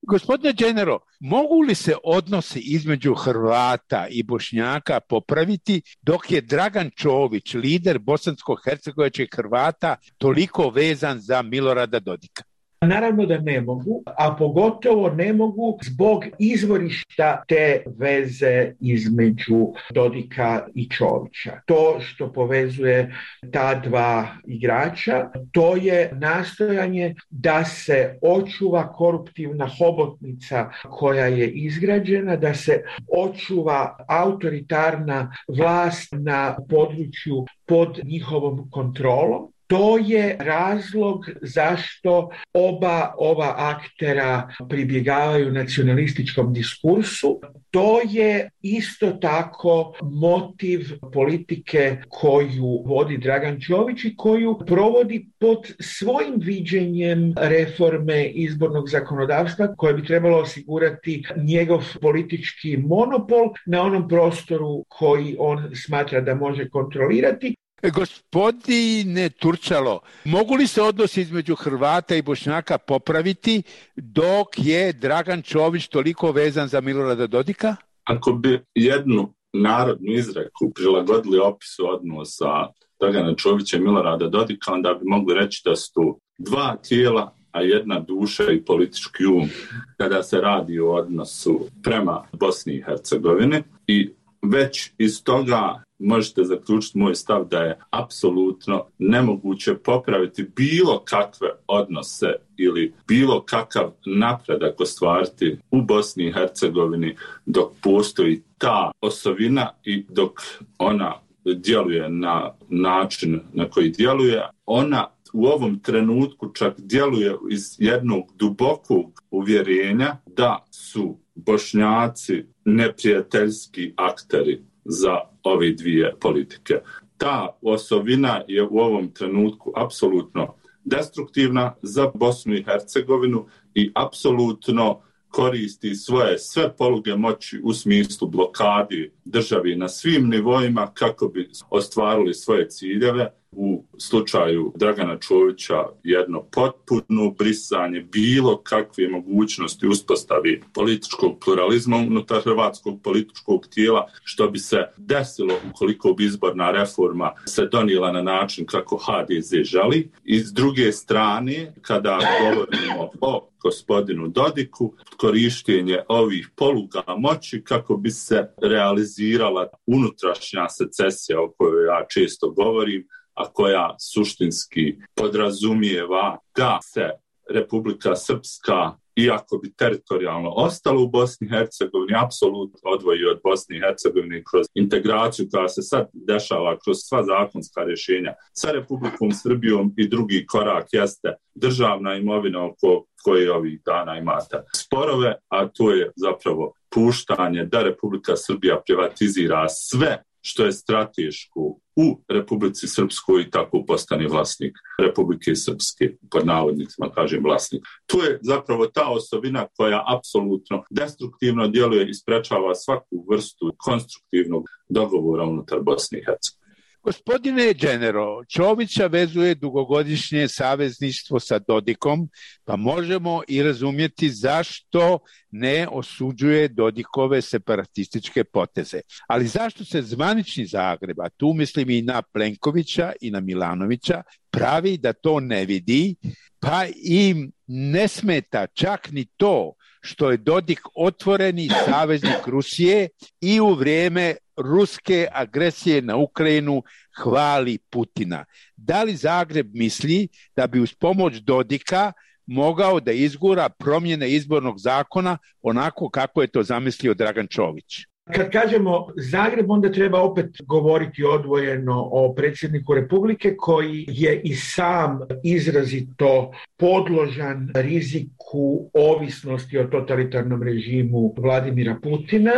Gospodine Đenero, mogu li se odnosi između Hrvata i Bošnjaka popraviti dok je Dragan Čović, lider bosansko-hercegovačkih Hrvata, toliko vezan za Milorada Dodika? Naravno da ne mogu, a pogotovo ne mogu zbog izvorišta te veze između Dodika i Čovića. To što povezuje ta dva igrača, to je nastojanje da se očuva koruptivna hobotnica koja je izgrađena, da se očuva autoritarna vlast na području pod njihovom kontrolom. To je razlog zašto oba ova aktera pribjegavaju nacionalističkom diskursu. To je isto tako motiv politike koju vodi Dragan Čović i koju provodi pod svojim viđenjem reforme izbornog zakonodavstva koje bi trebalo osigurati njegov politički monopol na onom prostoru koji on smatra da može kontrolirati. Gospodine Turčalo, mogu li se odnosi između Hrvata i Bošnjaka popraviti dok je Dragan Čović toliko vezan za Milorada Dodika? Ako bi jednu narodnu izreku prilagodili opisu odnosa Dragana Čovića i Milorada Dodika, onda bi mogli reći da su tu dva tijela, a jedna duša i politički um kada se radi o odnosu prema Bosni i Hercegovini. I već iz toga možete zaključiti moj stav da je apsolutno nemoguće popraviti bilo kakve odnose ili bilo kakav napredak ostvariti u Bosni i Hercegovini dok postoji ta osovina i dok ona djeluje na način na koji djeluje. Ona u ovom trenutku čak djeluje iz jednog dubokog uvjerenja da su Bošnjaci neprijateljski akteri za ove dvije politike. Ta osovina je u ovom trenutku apsolutno destruktivna za Bosnu i Hercegovinu i apsolutno koristi svoje sve poluge moći u smislu blokadi državi na svim nivoima kako bi ostvarili svoje ciljeve. U slučaju Dragana Čovića jedno potpuno brisanje bilo kakve mogućnosti uspostavi političkog pluralizma unutar hrvatskog političkog tijela, što bi se desilo ukoliko bi izborna reforma se donijela na način kako ha de ze želi. I s druge strane, kada govorimo o gospodinu Dodiku, korištenje ovih poluga moći kako bi se realizirala unutrašnja secesija o kojoj ja često govorim, a koja suštinski podrazumijeva da se Republika Srpska, iako bi teritorijalno ostalo u Bosni i Hercegovini, apsolutno odvoji od Bosne i Hercegovine kroz integraciju koja se sad dešava kroz sva zakonska rješenja sa Republikom Srbijom i drugi korak jeste državna imovina oko koje ovih dana imate sporove, a to je zapravo puštanje da Republika Srbija privatizira sve što je strateško u Republici Srpskoj i tako postane vlasnik Republike Srpske, pod navodnicima kažem vlasnik. Tu je zapravo ta osobina koja apsolutno destruktivno djeluje i sprečava svaku vrstu konstruktivnog dogovora unutar Bosne i Hercegovine. Gospodine Genero, Čovića vezuje dugogodišnje savezništvo sa Dodikom, pa možemo i razumjeti zašto ne osuđuje Dodikove separatističke poteze. Ali zašto se zvanični Zagreb, a tu mislim i na Plenkovića i na Milanovića, pravi da to ne vidi, pa im ne smeta čak ni to što je Dodik otvoreni saveznik Rusije i u vrijeme ruske agresije na Ukrajinu hvali Putina. Da li Zagreb misli da bi uz pomoć Dodika mogao da izgura promjene izbornog zakona onako kako je to zamislio Dragan Čović? Kad kažemo Zagreb, onda treba opet govoriti odvojeno o predsjedniku Republike koji je i sam izrazito podložan riziku ovisnosti o totalitarnom režimu Vladimira Putina.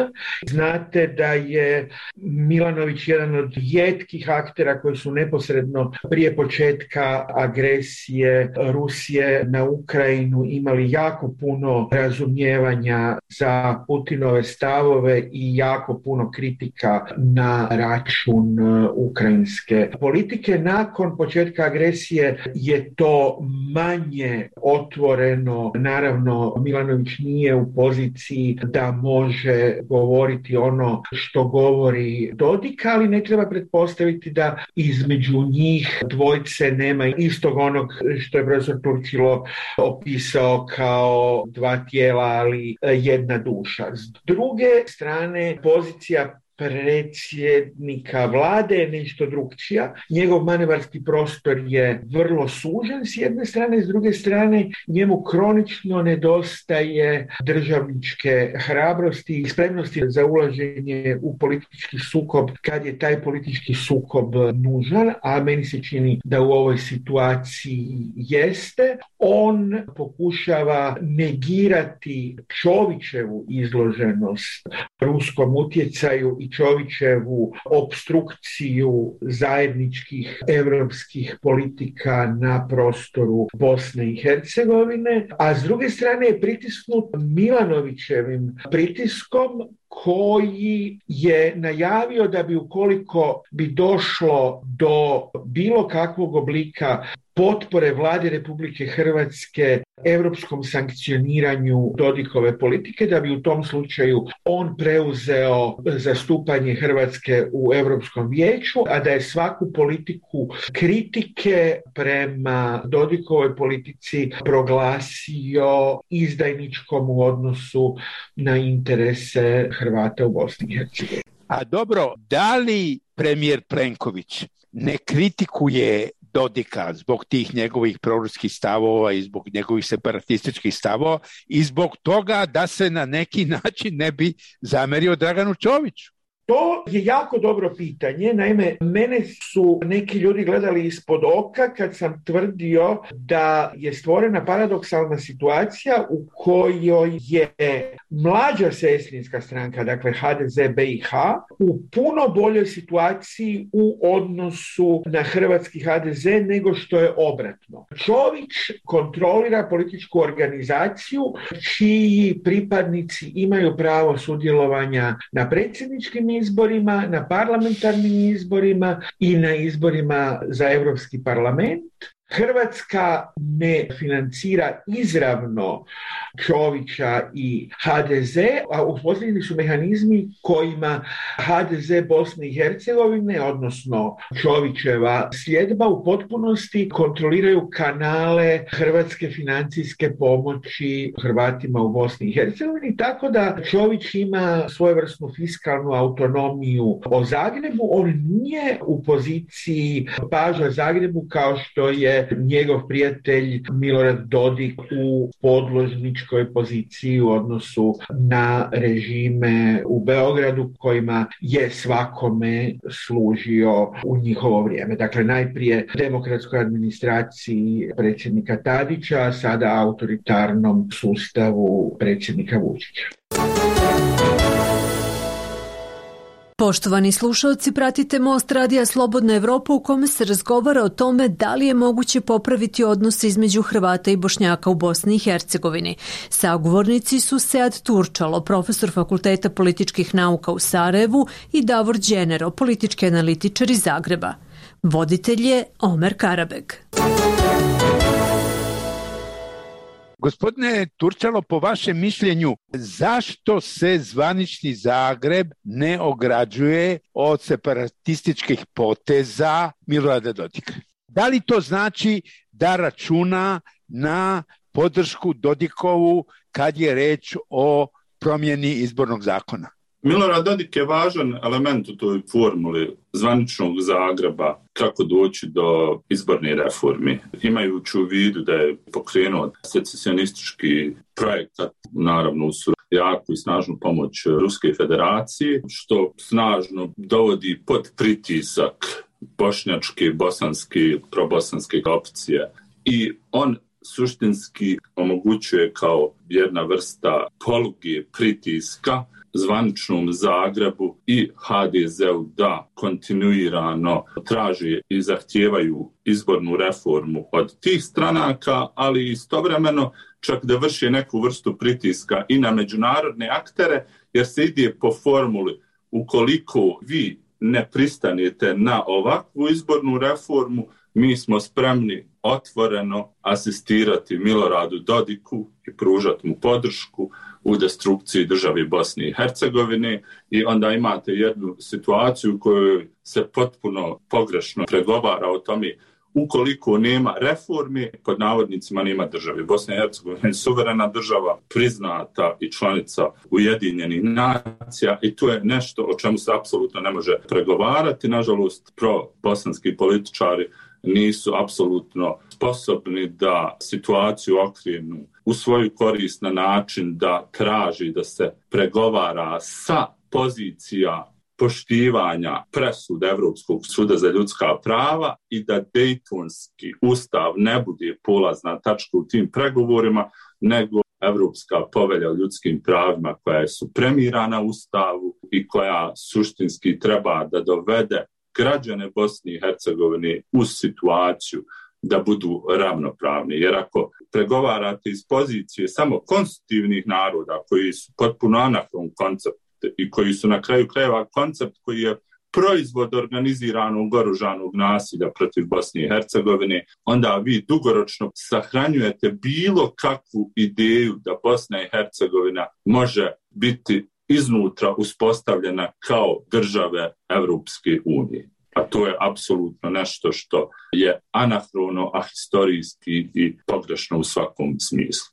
Znate da je Milanović jedan od rijetkih aktera koji su neposredno prije početka agresije Rusije na Ukrajinu imali jako puno razumijevanja za Putinove stavove i jako puno kritika na račun ukrajinske politike. Nakon početka agresije je to manje otvoreno. Naravno, Milanović nije u poziciji da može govoriti ono što govori Dodik, ali ne treba pretpostaviti da između njih dvojce nema istog onog što je profesor Turčilo opisao kao dva tijela, ali jedna duša. S druge strane, pozicija predsjednika vlade je nešto drugčija. Njegov manevarski prostor je vrlo sužen s jedne strane, s druge strane njemu kronično nedostaje državničke hrabrosti i spremnosti za ulaženje u politički sukob kad je taj politički sukob nužan, a meni se čini da u ovoj situaciji jeste. On pokušava negirati Čovićevu izloženost ruskom utjecaju i Čovićevu opstrukciju zajedničkih europskih politika na prostoru Bosne i Hercegovine, a s druge strane je pritisnut Milanovićevim pritiskom koji je najavio da bi ukoliko bi došlo do bilo kakvog oblika potpore vlade Republike Hrvatske europskom sankcioniranju Dodikove politike, da bi u tom slučaju on preuzeo zastupanje Hrvatske u Europskom vijeću, a da je svaku politiku kritike prema Dodikovoj politici proglasio izdajničkom u odnosu na interese Hrvata u Bosni i Hercegovini. A dobro, da li premijer Plenković ne kritikuje Dodika zbog tih njegovih proruskih stavova i zbog njegovih separatističkih stavova i zbog toga da se na neki način ne bi zamerio Draganu Čoviću? To je jako dobro pitanje. Naime, mene su neki ljudi gledali ispod oka kad sam tvrdio da je stvorena paradoksalna situacija u kojoj je mlađa sestrinska stranka, dakle ha de ze be i ha, u puno boljoj situaciji u odnosu na hrvatski ha de ze nego što je obratno. Čović kontrolira političku organizaciju čiji pripadnici imaju pravo sudjelovanja na predsjedničkim izborima, na parlamentarnim izborima i na izborima za Europski parlament. Hrvatska ne financira izravno Čovića i ha de ze, a uspostavljeni su mehanizmi kojima ha de ze Bosne i Hercegovine, odnosno Čovićeva sljedba, u potpunosti kontroliraju kanale hrvatske financijske pomoći Hrvatima u Bosni i Hercegovini, tako da Čović ima svojevrsnu fiskalnu autonomiju o Zagrebu. On nije u poziciji paža Zagrebu kao što je njegov prijatelj Milorad Dodik u podložničkoj poziciji u odnosu na režime u Beogradu kojima je svakome služio u njihovo vrijeme. Dakle, najprije demokratskoj administraciji predsjednika Tadića, a sada autoritarnom sustavu predsjednika Vučića. Poštovani slušalci, pratite Most radija Slobodna Evropa u kome se razgovara o tome da li je moguće popraviti odnose između Hrvata i Bošnjaka u Bosni i Hercegovini. Sagovornici su Sead Turčalo, profesor Fakulteta političkih nauka u Sarajevu, i Davor Đenero, politički analitičar iz Zagreba. Voditelj je Omer Karabeg. Gospodine Turčalo, po vašem mišljenju, zašto se zvanični Zagreb ne ograđuje od separatističkih poteza Milorada Dodika? Da li to znači da računa na podršku Dodikovu kad je reč o promjeni izbornog zakona? Milorad Dodik je važan element u toj formuli zvaničnog Zagreba kako doći do izborne reformi. Imajući u vidu da je pokrenuo secesionistički projekat, naravno uz jaku i snažnu pomoć Ruske federacije, što snažno dovodi pod pritisak bošnjačke, bosanske, probosanske opcije. I on suštinski omogućuje kao jedna vrsta poluge pritiska zvaničnom Zagrebu i ha de zeu da kontinuirano traže i zahtijevaju izbornu reformu od tih stranaka, ali istovremeno čak da vrši neku vrstu pritiska i na međunarodne aktere, jer se ide po formuli ukoliko vi ne pristanete na ovakvu izbornu reformu, mi smo spremni otvoreno asistirati Miloradu Dodiku i pružati mu podršku u destrukciji države Bosne i Hercegovine, i onda imate jednu situaciju u kojoj se potpuno pogrešno pregovara o tome ukoliko nema reforme, pod navodnicima nema države. Bosna i Hercegovina je suverena država, priznata i članica Ujedinjenih nacija, i to je nešto o čemu se apsolutno ne može pregovarati. Nažalost, pro-bosanski političari nisu apsolutno sposobni da situaciju okrenu u svoju korist na način da traži da se pregovara sa pozicija poštivanja presuda Evropskog suda za ljudska prava i da Dejtonski ustav ne bude polazna tačka u tim pregovorima, nego Evropska povelja o ljudskim pravima koja je supremirana ustavu i koja suštinski treba da dovede građane Bosne i Hercegovine u situaciju da budu ravnopravni. Jer ako pregovarate iz pozicije samo konstitutivnih naroda koji su potpuno anahron koncept i koji su na kraju krajeva koncept koji je proizvod organiziranog oružanog nasilja protiv Bosne i Hercegovine, onda vi dugoročno sahranjujete bilo kakvu ideju da Bosna i Hercegovina može biti iznutra uspostavljena kao države Evropske unije. A to je apsolutno nešto što je anahrono, ahistorijski i pogrešno u svakom smislu.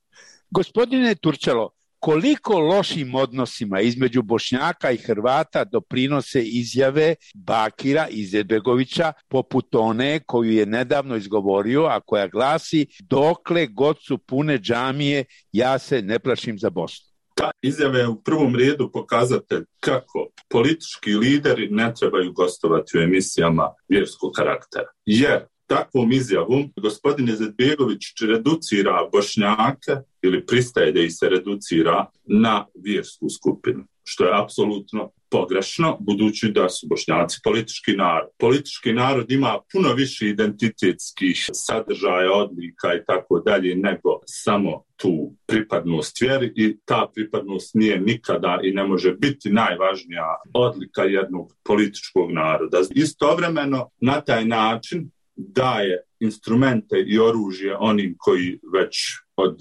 Gospodine Turčalo, koliko lošim odnosima između Bošnjaka i Hrvata doprinose izjave Bakira Izetbegovića poput one koju je nedavno izgovorio, a koja glasi: dokle god su pune džamije, ja se ne plašim za Bosnu. Ta izjava je u prvom redu pokazatelj kako politički lideri ne trebaju gostovati u emisijama vjerskog karaktera. Jer takvom izjavom gospodin Izetbegović reducira Bošnjake ili pristaje da ih se reducira na vjersku skupinu, što je apsolutno pogrešno, budući da su Bošnjaci politički narod. Politički narod ima puno više identitetskih sadržaja, odlika i tako dalje nego samo tu pripadnost vjeri, i ta pripadnost nije nikada i ne može biti najvažnija odlika jednog političkog naroda. Istovremeno na taj način daje instrumente i oružje onim koji već od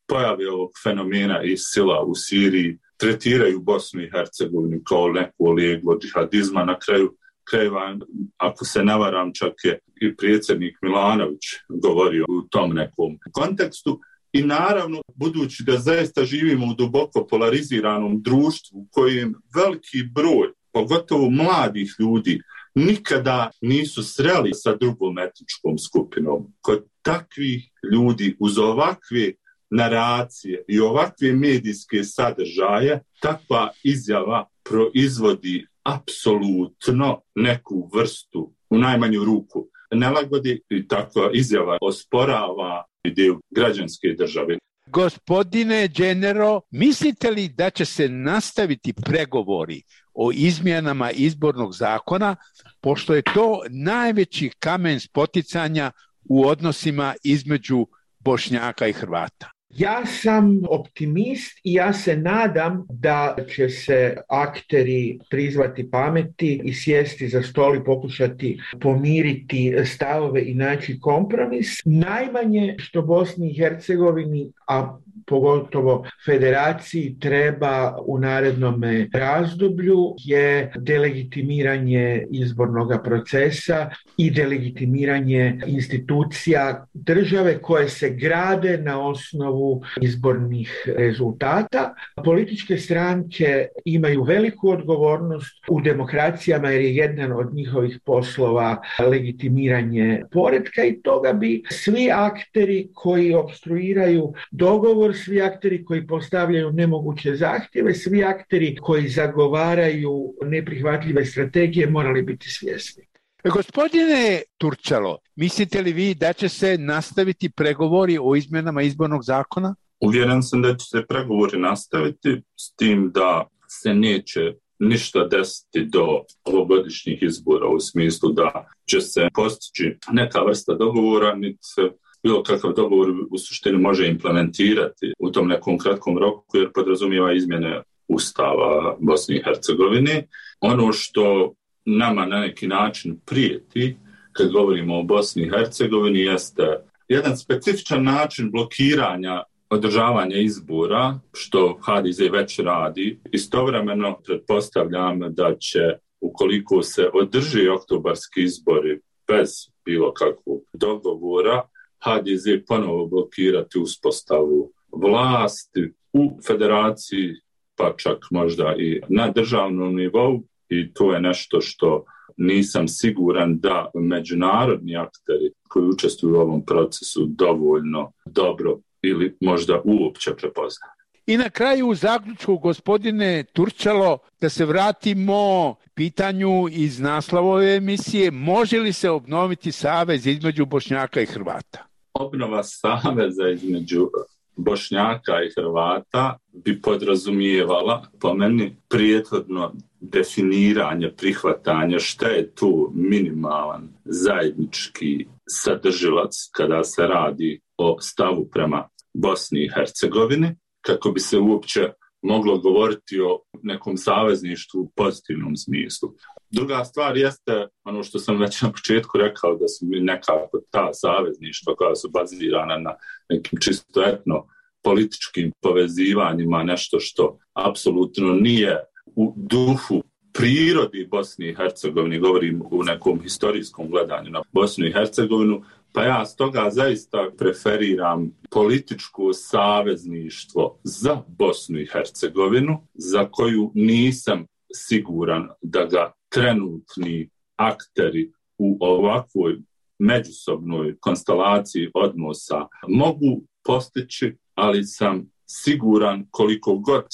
pojave ovog fenomena i sila u Siriji tretiraju Bosnu i Hercegovinu kao neku leglo džihadizma. Na kraju krajeva, ako se ne varam, čak je i predsjednik Milanović govorio u tom nekom kontekstu. I naravno, budući da zaista živimo u duboko polariziranom društvu u kojem veliki broj, pogotovo mladih ljudi, nikada nisu sreli sa drugom etničkom skupinom. Kod takvih ljudi uz ovakve naracije i ovakve medijske sadržaje, takva izjava proizvodi apsolutno neku vrstu, u najmanju ruku, nelagodi, i takva izjava osporava ideju građanske države. Gospodine Genero, mislite li da će se nastaviti pregovori o izmjenama izbornog zakona, pošto je to najveći kamen spoticanja u odnosima između Bošnjaka i Hrvata? Ja sam optimist i ja se nadam da će se akteri prizvati pameti i sjesti za stol i pokušati pomiriti stavove i naći kompromis. Najmanje što Bosni i Hercegovini, a pogotovo federaciji, treba u narednom razdoblju je delegitimiranje izbornog procesa i delegitimiranje institucija države koje se grade na osnovu izbornih rezultata. Političke stranke imaju veliku odgovornost u demokracijama jer je jedan od njihovih poslova legitimiranje poretka i toga bi svi akteri koji opstruiraju dogovor, svi akteri koji postavljaju nemoguće zahtjeve, svi akteri koji zagovaraju neprihvatljive strategije morali biti svjesni. Gospodine Turčalo, mislite li vi da će se nastaviti pregovori o izmjenama izbornog zakona? Uvjeren sam da će se pregovori nastaviti s tim da se neće ništa desiti do ovogodišnjih izbora u smislu da će se postići neka vrsta dogovora, niti se bilo kakav dogovor u suštini može implementirati u tom nekom kratkom roku jer podrazumijeva izmjene Ustava Bosne i Hercegovine. Ono što nama na neki način prijeti kad govorimo o Bosni i Hercegovini jeste jedan specifičan način blokiranja održavanja izbora, što H D Z već radi. Istovremeno pretpostavljam da će, ukoliko se održi oktobarski izbori bez bilo kakvog dogovora, H D Z ponovo blokirati uspostavu vlasti u federaciji, pa čak možda i na državnom nivou. I to je nešto što nisam siguran da međunarodni akteri koji učestvuju u ovom procesu dovoljno dobro ili možda uopće prepoznaju. I na kraju u zaključku, gospodine Turčalo, da se vratimo pitanju iz naslova ove emisije, može li se obnoviti savez između Bošnjaka i Hrvata? Obnova saveza između Bošnjaka i Hrvata bi podrazumijevala po meni prethodno definiranje, prihvatanje šta je tu minimalan zajednički sadržilac kada se radi o stavu prema Bosni i Hercegovini, kako bi se uopće moglo govoriti o nekom savezništvu u pozitivnom smislu. Druga stvar jeste ono što sam već na početku rekao, da su nekako ta savezništva koja su bazirana na nekim čisto etno političkim povezivanjima, nešto što apsolutno nije u duhu prirodi Bosni i Hercegovini, govorim u nekom historijskom gledanju na Bosnu i Hercegovinu, pa ja stoga zaista preferiram političko savezništvo za Bosnu i Hercegovinu, za koju nisam siguran da ga trenutni akteri u ovakvoj međusobnoj konstelaciji odnosa mogu postići, ali sam siguran koliko god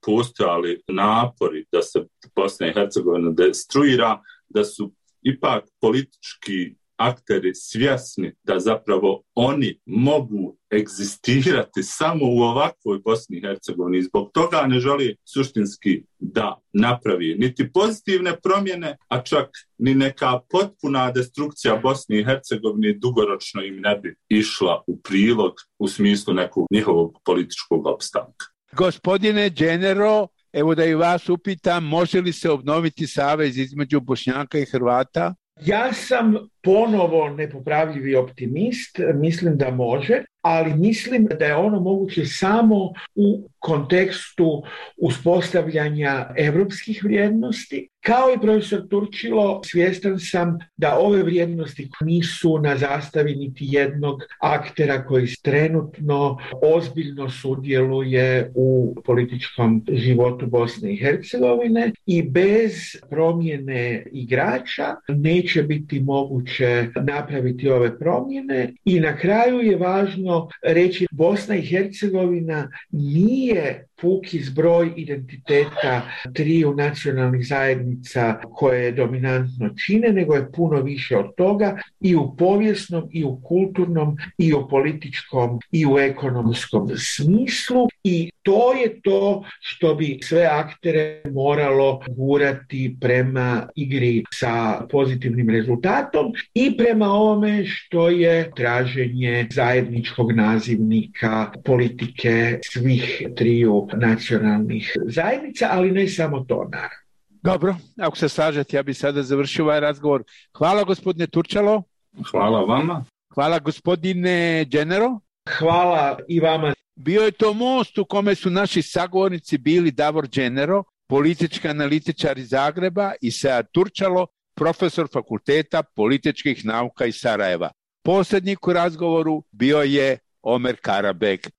postojali napori da se Bosna i Hercegovina destruira, da su ipak politički akteri svjesni da zapravo oni mogu egzistirati samo u ovakvoj Bosni i Hercegovini. Zbog toga ne želi suštinski da napravi niti pozitivne promjene, a čak ni neka potpuna destrukcija Bosne i Hercegovine dugoročno im ne bi išla u prilog u smislu nekog njihovog političkog opstanka. Gospodine Genero, evo da i vas upitam, može li se obnoviti savez između Bošnjaka i Hrvata? Ja sam ponovo nepopravljivi optimist, mislim da može, ali mislim da je ono moguće samo u kontekstu uspostavljanja europskih vrijednosti. Kao i profesor Turčilo, svjestan sam da ove vrijednosti nisu na zastavi niti jednog aktera koji trenutno ozbiljno sudjeluje u političkom životu Bosne i Hercegovine i bez promjene igrača neće biti moguće napraviti ove promjene. I na kraju je važno reći, Bosna i Hercegovina nije puki zbroj identiteta triju nacionalnih zajednica koje je dominantno čine, nego je puno više od toga i u povijesnom, i u kulturnom, i u političkom, i u ekonomskom smislu. I to je to što bi sve aktere moralo gurati prema igri sa pozitivnim rezultatom i prema ovome što je traženje zajedničkog nazivnika politike svih triju nacionalnih zajednica, ali ne samo to, naravno. Dobro, ako se slažete, ja bih sada završio ovaj razgovor. Hvala gospodine Turčalo. Hvala vama. Hvala gospodine Genero. Hvala i vama. Bio je to most u kome su naši sagovornici bili Davor Genero, politički analitičar iz Zagreba, i Sead Turčalo, profesor Fakulteta političkih nauka iz Sarajeva. Posrednik u razgovoru bio je Omer Karabek.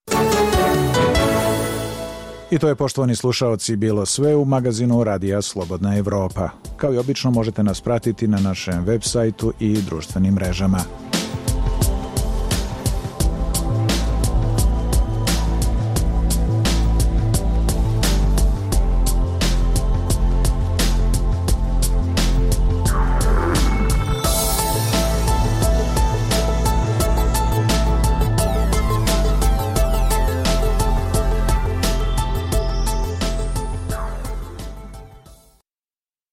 I to je, poštovani slušaoci, bilo sve u magazinu Radija Slobodna Evropa. Kao i obično možete nas pratiti na našem web sajtu i društvenim mrežama.